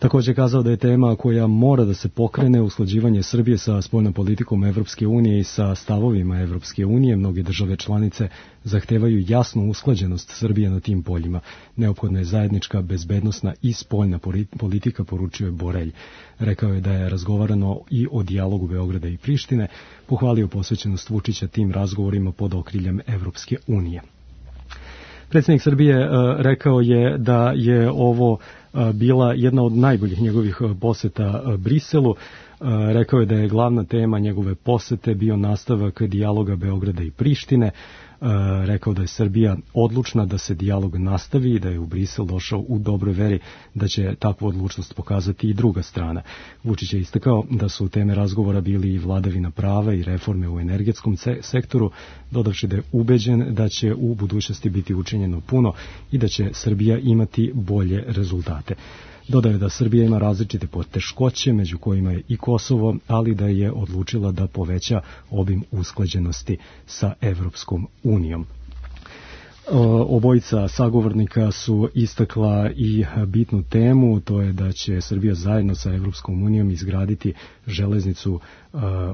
Također je kazao da je tema koja mora da se pokrene usklađivanje Srbije sa spoljnom politikom Evropske unije i sa stavovima Evropske unije. Mnoge države članice zahtevaju jasnu usklađenost Srbije na tim poljima. Neophodna je zajednička bezbednosna i spoljna politika, poručio je Borelj. Rekao je da je razgovarano i o dijalogu Beograda i Prištine, pohvalio posvećenost Vučića tim razgovorima pod okriljem Evropske unije. Predsjednik Srbije rekao je da je ovo bila jedna od najboljih njegovih poseta Briselu. Rekao je da je glavna tema njegove posete bio nastavak dijaloga Beograda i Prištine. Rekao da je Srbija odlučna da se dijalog nastavi i da je u Brisel došao u dobroj veri da će takvu odlučnost pokazati i druga strana. Vučić je istakao da su teme razgovora bili i vladavina prava i reforme u energetskom sektoru, dodavši da je ubeđen da će u budućnosti biti učinjeno puno i da će Srbija imati bolje rezultate. Dodao je da Srbija ima različite poteškoće, među kojima je i Kosovo, ali da je odlučila da poveća obim usklađenosti sa Evropskom unijom. Obojica sagovornika su istakla i bitnu temu, to je da će Srbija zajedno sa Evropskom unijom izgraditi železnicu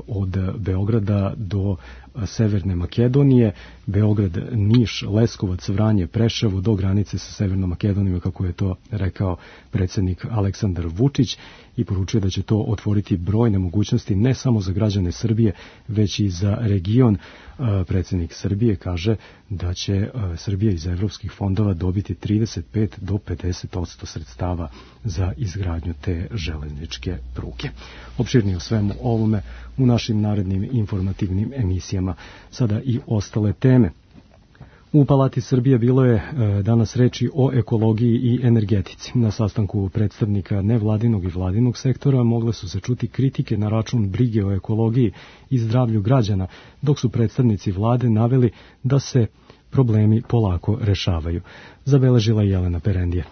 od Beograda do Severne Makedonije, Beograd, Niš, Leskovac, Vranje, Preševo do granice sa Severnom Makedonijom, kako je to rekao predsjednik Aleksandar Vučić, i poručuje da će to otvoriti brojne mogućnosti ne samo za građane Srbije, već i za region. Predsjednik Srbije kaže da će Srbija iz evropskih fondova dobiti 35 do 50% sredstava za izgradnju te železničke pruge. Opširnije o svemu ovome u našim narednim informativnim emisijama. Sada i ostale teme. U Palati Srbije bilo je danas reči o ekologiji i energetici. Na sastanku predstavnika nevladinog i vladinog sektora mogle su se čuti kritike na račun brige o ekologiji i zdravlju građana, dok su predstavnici vlade naveli da se problemi polako rešavaju. Zabeležila Jelena Perendija.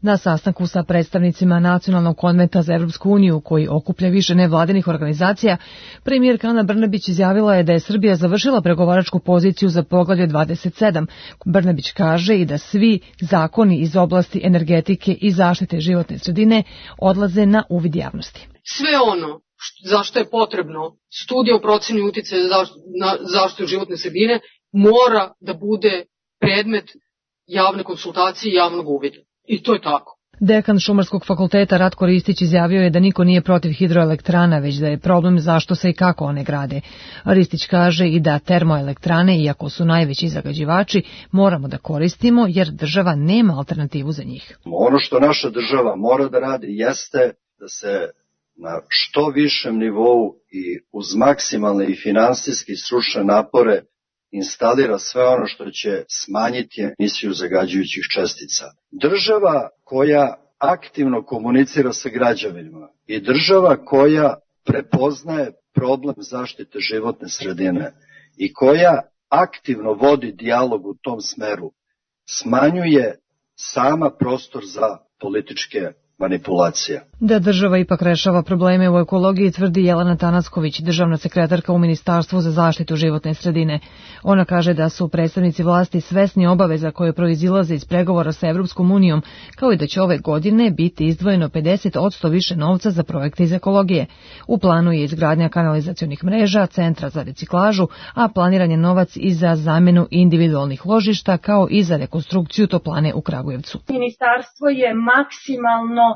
Na sastanku sa predstavnicima Nacionalnog konventa za Evropsku uniju, koji okuplja više nevladinih organizacija, premijerka Ana Brnabić izjavila je da je Srbija završila pregovaračku poziciju za poglavlje 27. Brnabić kaže i da svi zakoni iz oblasti energetike i zaštite životne sredine odlaze na uvid javnosti. Sve ono zašto je potrebno studija o proceni uticaja na zaštitu životne sredine mora da bude predmet javne konsultacije i javnog uvida. I to je tako. Dekan Šumarskog fakulteta Ratko Ristić izjavio je da niko nije protiv hidroelektrana, već da je problem zašto se i kako one grade. Ristić kaže i da termoelektrane, iako su najveći zagađivači, moramo da koristimo jer država nema alternativu za njih. Ono što naša država mora da radi jeste da se na što višem nivou i uz maksimalne i finansijski stručne napore instalira sve ono što će smanjiti emisiju zagađujućih čestica. Država koja aktivno komunicira sa građanima i država koja prepoznaje problem zaštite životne sredine i koja aktivno vodi dijalog u tom smeru, smanjuje sama prostor za političke manipulacija. Da država ipak rešava probleme u ekologiji, tvrdi Jelena Tanacković, državna sekretarka u Ministarstvu za zaštitu životne sredine. Ona kaže da su predstavnici vlasti svesni obaveza koje proizilaze iz pregovora sa Evropskom unijom, kao i da će ove godine biti izdvojeno 50% više novca za projekte iz ekologije. U planu je izgradnja kanalizacionih mreža, centra za reciklažu, a planiran je novac i za zamenu individualnih ložišta, kao i za rekonstrukciju toplane u Kragujevcu. Ministarstvo je maksimalno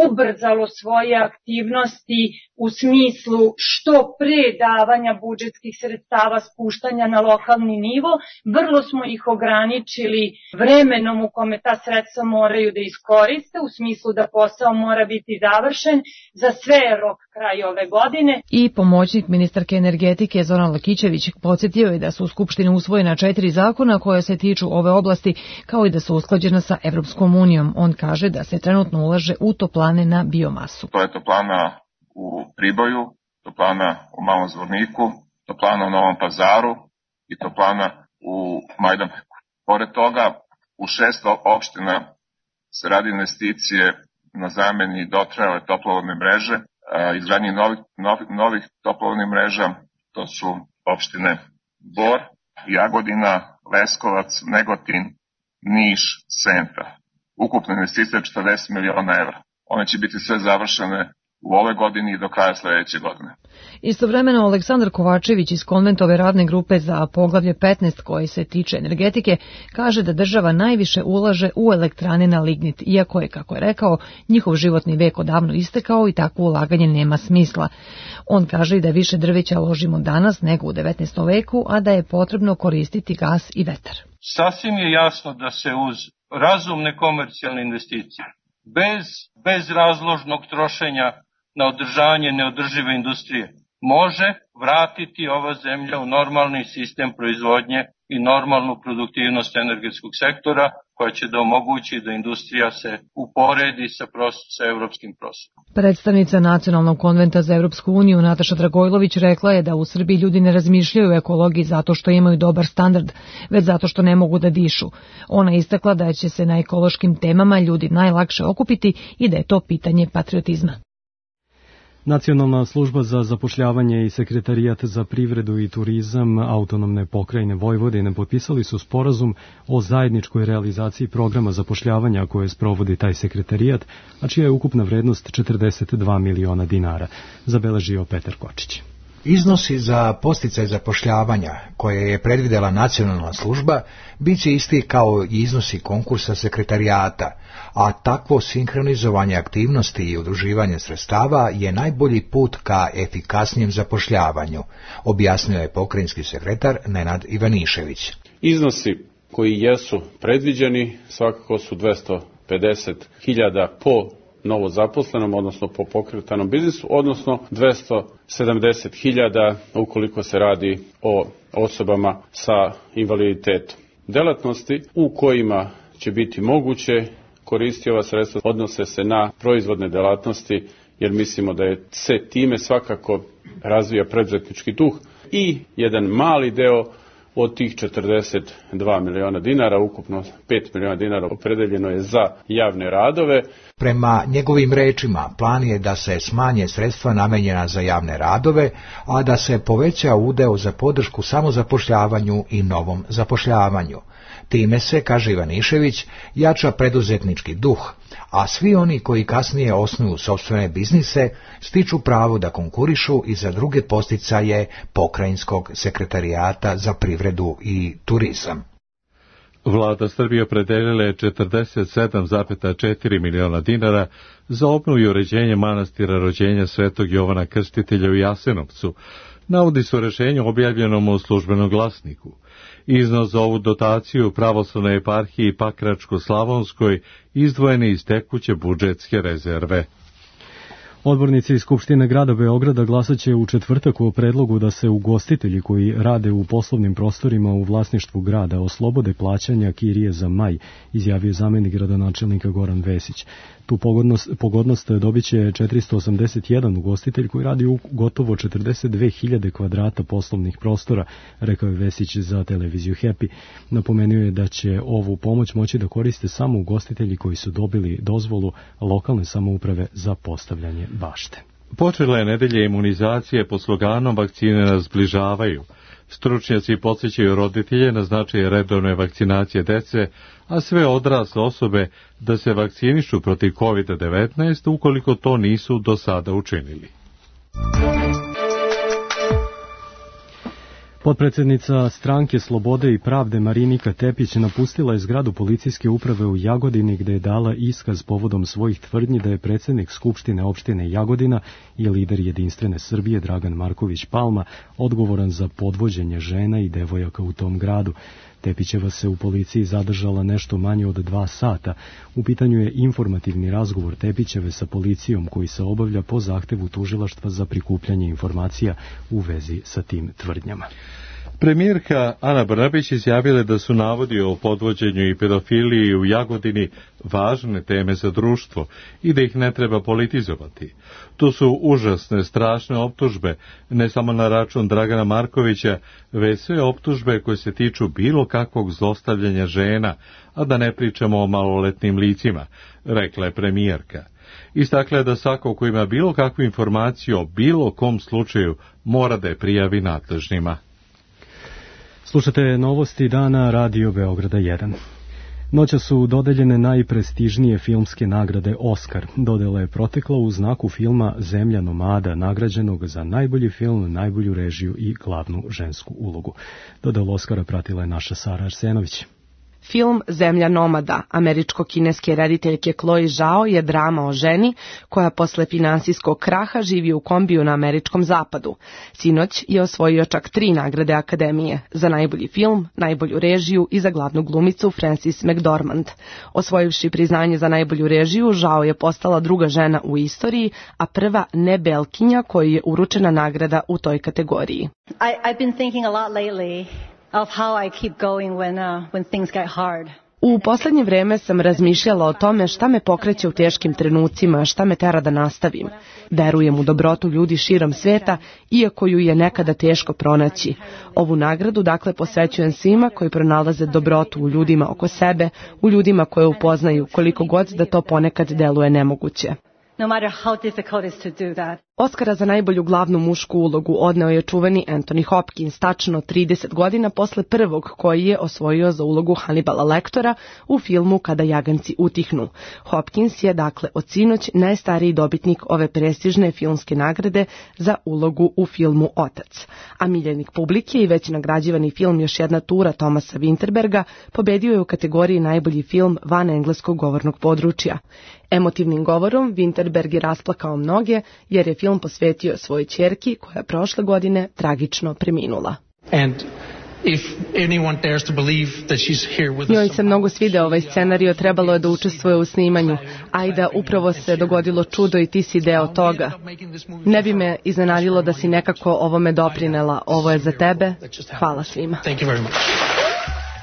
ubrzalo svoje aktivnosti u smislu što pre davanja budžetskih sredstava, spuštanja na lokalni nivo. Vrlo smo ih ograničili vremenom u kome ta sredstva moraju da iskoriste, u smislu da posao mora biti završen. Za sve je rok kraj ove godine. I pomoćnik ministarke energetike Zoran Lakićević podsjetio je da su u Skupštini usvojena 4 zakona koje se tiču ove oblasti, kao i da su usklađena sa Evropskom unijom. On kaže da se trenutno ulaže u toplane na biomasu. To je toplana u Priboju, toplana u Malom Zvorniku, toplana u Novom Pazaru i toplana u Majdanpeku. Pored toga, u 6 opština se radi investicije na zameni dotrajale toplovodne mreže, izgradnji novih toplovodnih mreža, to su opštine Bor, Jagodina, Leskovac, Negotin, Niš, Senta. Ukupna investicija je 40 miliona evra. One će biti sve završene u ove godini i do kraja sledeće godine. Istovremeno, Aleksandar Kovačević iz Konventove radne grupe za poglavlje 15 koje se tiče energetike kaže da država najviše ulaže u elektrane na lignit, iako je, kako je rekao, njihov životni vek odavno istekao i takvo ulaganje nema smisla. On kaže i da više drveća ložimo danas nego u 19. veku, a da je potrebno koristiti gas i vetar. Sasvim je jasno da se uz razumne komercijalne investicije, bez razložnog trošenja na održavanje neodržive industrije, može vratiti ova zemlja u normalni sistem proizvodnje i normalnu produktivnost energetskog sektora, koja će da omogući da industrija se uporedi sa evropskim prosekom. Predstavnica Nacionalnog konventa za Evropsku uniju Nataša Dragojlović rekla je da u Srbiji ljudi ne razmišljaju o ekologiji zato što imaju dobar standard, već zato što ne mogu da dišu. Ona istakla da će se na ekološkim temama ljudi najlakše okupiti i da je to pitanje patriotizma. Nacionalna služba za zapošljavanje i Sekretarijat za privredu i turizam Autonomne pokrajine Vojvodine potpisali su sporazum o zajedničkoj realizaciji programa zapošljavanja koje sprovodi taj sekretarijat, a čija je ukupna vrednost 42 miliona dinara, zabeležio Petar Kočić. Iznosi za podsticaj zapošljavanja koje je predvidela nacionalna služba bit će isti kao i iznosi konkursa sekretarijata, a takvo sinhronizovanje aktivnosti i udruživanje sredstava je najbolji put ka efikasnijem zapošljavanju, objasnio je pokrajinski sekretar Nenad Ivanišević. Iznosi koji jesu predviđeni svakako su 250.000 po novo zaposlenom, odnosno po pokretanom biznisu, odnosno 270.000 ukoliko se radi o osobama sa invaliditetom. Delatnosti u kojima će biti moguće koristiti ova sredstva odnose se na proizvodne delatnosti, jer mislimo da je se time svakako razvija preduzetnički duh i jedan mali deo od tih 42 miliona dinara, ukupno 5 miliona dinara opredeljeno je za javne radove. Prema njegovim rečima, plan je da se smanje sredstva namenjena za javne radove, a da se poveća udeo za podršku samozapošljavanju i novom zapošljavanju. Time se, kaže Ivanišević, jača preduzetnički duh, a svi oni koji kasnije osnuju sopstvene biznise stiču pravo da konkurišu i za druge podsticaje pokrajinskog sekretarijata za privredu i turizam. Vlada Srbije opredelila je 47,4 miliona dinara za obnovu i uređenje manastira rođenja Svetog Jovana Krstitelja u Jasenovcu, navodi se u rešenju objavljenom u Službenom glasniku. Iznos za ovu dotaciju pravoslavnoj eparhiji Pakračko-Slavonskoj izdvojeni iz tekuće budžetske rezerve. Odbornici iz Skupštine grada Beograda glasaće u četvrtak o predlogu da se ugostitelji koji rade u poslovnim prostorima u vlasništvu grada oslobode plaćanja kirije za maj, izjavio zamenik gradonačelnika Goran Vesić. Tu pogodnost dobit će 481 ugostitelj koji radi u gotovo 42.000 kvadrata poslovnih prostora, rekao je Vesić za televiziju Happy. Napomenuo je da će ovu pomoć moći da koriste samo ugostitelji koji su dobili dozvolu lokalne samouprave za postavljanje bašte. Počela je nedelja imunizacije pod sloganom "Vakcine nas zbližavaju". Stručnjaci podsjećaju roditelje na značaj redovne vakcinacije dece, a sve odrasle osobe da se vakcinišu protiv COVID-19 ukoliko to nisu do sada učinili. Potpredsednica Stranke Slobode i pravde Marinika Tepić napustila je zgradu policijske uprave u Jagodini gde je dala iskaz povodom svojih tvrdnji da je predsednik Skupštine opštine Jagodina i lider Jedinstvene Srbije Dragan Marković Palma odgovoran za podvođenje žena i devojaka u tom gradu. Tepićeva se u policiji zadržala nešto manje od 2 sata. U pitanju je informativni razgovor Tepićeve sa policijom koji se obavlja po zahtevu tužilaštva za prikupljanje informacija u vezi sa tim tvrdnjama. Premijerka Ana Brnabić izjavila da su navodi o podvođenju i pedofiliji u Jagodini važne teme za društvo i da ih ne treba politizovati. To su užasne, strašne optužbe, ne samo na račun Dragana Markovića, već sve optužbe koje se tiču bilo kakvog zlostavljanja žena, a da ne pričamo o maloletnim licima, rekla je premijerka. Istakla je da svako ko ima bilo kakvu informaciju o bilo kom slučaju mora da je prijavi nadležnima. Slušate novosti dana Radio Beograda 1. Noća su dodeljene najprestižnije filmske nagrade Oskar. Dodela je protekla u znaku filma Zemlja nomada, nagrađenog za najbolji film, najbolju režiju i glavnu žensku ulogu. Dodelu Oskara pratila je naša Sara Arsenović. Film Zemlja nomada američko-kineske rediteljke Chloe Zhao je drama o ženi koja posle finansijskog kraha živi u kombiju na američkom zapadu. Sinoć je osvojio čak 3 nagrade Akademije za najbolji film, najbolju režiju i za glavnu glumicu Frances McDormand. Osvojivši priznanje za najbolju režiju, Zhao je postala druga žena u istoriji, a prva nebelkinja kojoj je uručena nagrada u toj kategoriji. I've been thinking a lot lately of how I keep going when things get hard. U poslednje vreme sam razmišljala o tome šta me pokreće u teškim trenucima, šta me tera da nastavim. Verujem u dobrotu ljudi širom sveta, iako ju je nekada teško pronaći. Ovu nagradu dakle posvećujem svima koji pronalaze dobrotu u ljudima oko sebe, u ljudima koje upoznaju, koliko god da to ponekad deluje nemoguće. No matter how difficult it is to do that. Oskara za najbolju glavnu mušku ulogu odneo je čuveni Anthony Hopkins, tačno 30 godina posle prvog koji je osvojio za ulogu Hannibala Lectora u filmu Kada jaganci utihnu. Hopkins je dakle od sinoć najstariji dobitnik ove prestižne filmske nagrade za ulogu u filmu Otac. A miljenik publike i već nagrađivani film Još jedna tura Thomasa Winterberga pobedio je u kategoriji najbolji film van engleskog govornog područja. Emotivnim govorom Winterberg je rasplakao mnoge jer je film posvetio svojoj ćerki koja je prošle godine tragično preminula. Njoj se mnogo svideo ovaj scenario, trebalo je da učestvuje u snimanju. Ajda, upravo se dogodilo čudo i ti si deo toga. Ne bi me iznenadilo da si nekako ovome doprinela. Ovo je za tebe. Hvala svima.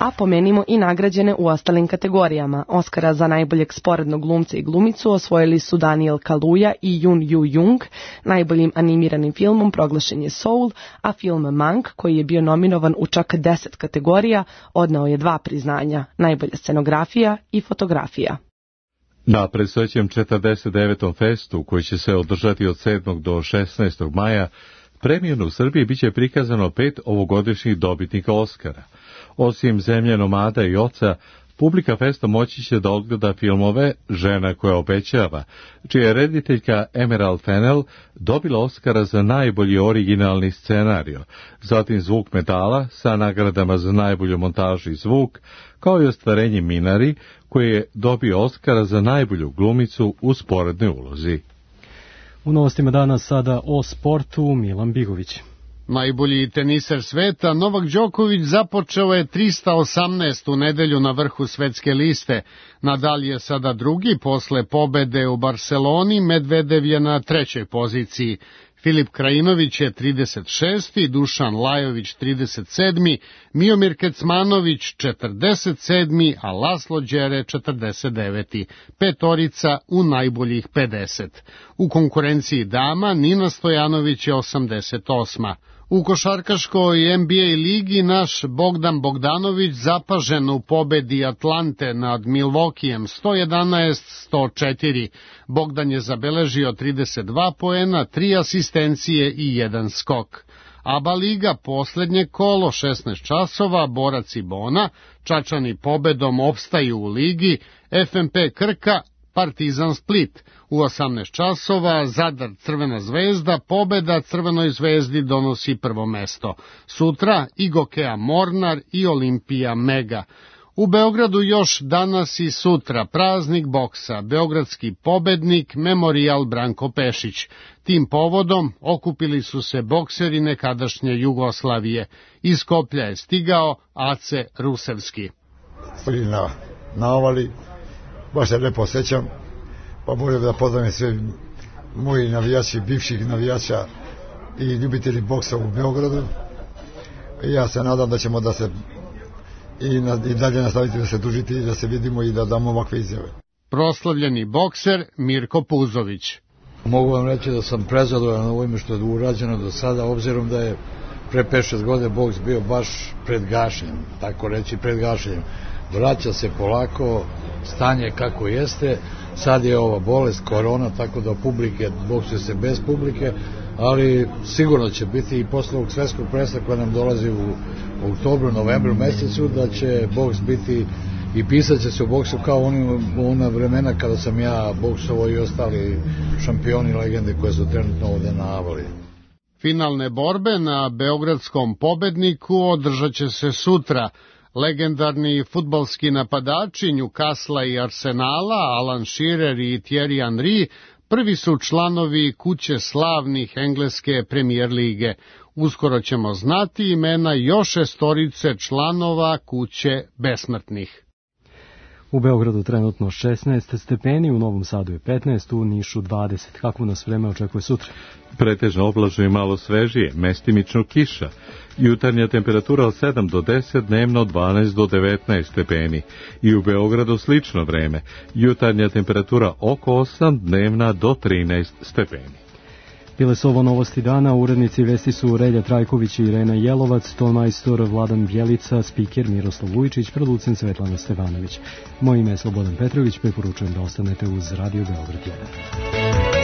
A pomenimo i nagrađene u ostalim kategorijama. Oskara za najboljeg sporednog glumca i glumicu osvojili su Daniel Kaluuya i Yoon Yoo-jung. Najboljim animiranim filmom proglašen je Soul, a film Mank, koji je bio nominovan u čak 10 kategorija, odneo je 2 priznanja, najbolja scenografija i fotografija. Na predstojećem 49. festu, koji će se održati od 7. do 16. maja, premijerno u Srbiji biće prikazano 5 ovogodišnjih dobitnika Oskara. Osim Zemlje nomada i Oca, Publika festa moći će da odgleda filmove Žena koja obećava, čija je rediteljka Emerald Fennell dobila Oskara za najbolji originalni scenario, zatim Zvuk metala sa nagradama za najbolju montažu i zvuk, kao i ostvarenje Minari, koji je dobio Oskara za najbolju glumicu u sporednoj ulozi. U novostima danas sada o sportu Milan Bigović. Najbolji teniser sveta Novak Đoković započeo je 318. nedelju na vrhu svetske liste. Nadal je sada drugi posle pobede u Barseloni, Medvedev je na trećoj poziciji. Filip Krajinović je 36. Dušan Lajović 37. Miomir Kecmanović 47. a Laslo Đere 49. Petorica u najboljih 50. U konkurenciji dama Nina Stojanović je 88. U košarkaškoj NBA ligi naš Bogdan Bogdanović zapažen u pobedi Atlante nad Milwaukeeem 111-104. Bogdan je zabeležio 32 poena, 3 asistencije i 1 skok. ABA liga poslednje kolo 16 časova, Borac i Bona, Čačani pobedom opstaju u ligi, FNP Krka, Partizan Split. U 18 časova Zadar Crvena zvezda, pobeda Crvenoj zvezdi donosi prvo mesto. Sutra i Gokea Mornar i Olimpija Mega. U Beogradu još danas i sutra praznik boksa, beogradski pobednik Memorijal Branko Pešić. Tim povodom okupili su se bokseri nekadašnje Jugoslavije. Iz Skoplja je stigao Ace Rusevski. Stoli na navali, baš se lepo osjećam, pa moram da pozdravim sve moji navijači, bivših navijača i ljubitelji boksa u Beogradu. Ja se nadam da ćemo da se i dalje nastaviti da se družiti i da se vidimo i da damo ovakve izjave. Proslavljeni bokser Mirko Puzović. Mogu vam reći da sam prezadovoljan ovime što je urađeno do sada, obzirom da je pre 5-6 godine boks bio baš pred gašenjem, tako reći pred gašenjem. Vraća se polako, stanje kako jeste, sad je ova bolest, korona, tako da publike, boksuje se bez publike, ali sigurno će biti i posle ovog svetskog prvenstva koja nam dolazi u oktobru, novembru mesecu, da će boks biti i pisat će se u boksu kao ona vremena kada sam ja boksovao i ostali šampioni legende koje su trenutno ovde na avali. Finalne borbe na beogradskom pobedniku održat će se sutra. Legendarni fudbalski napadači Newcastle i Arsenala, Alan Shearer i Thierry Henry, prvi su članovi kuće slavnih engleske premijer lige. Uskoro ćemo znati imena još 6 članova kuće besmrtnih. U Beogradu trenutno 16 stepeni, u Novom Sadu je 15, u Nišu 20. Kako nas vreme očekuje sutra? Pretežno oblačno i malo svežije, mestimično kiša. Jutarnja temperatura od 7 do 10, dnevno 12 do 19 stepeni. I u Beogradu slično vreme. Jutarnja temperatura oko 8, dnevna do 13 stepeni. Bile su ovo novosti dana, urednici vesti su Relja Trajković i Irena Jelovac, tonmajstor Vladan Bjelica, spiker Miroslav Vujčić, producent Svetlana Stevanović. Moje ime je Slobodan Petrović, preporučujem da ostanete uz Radio Beograd 1.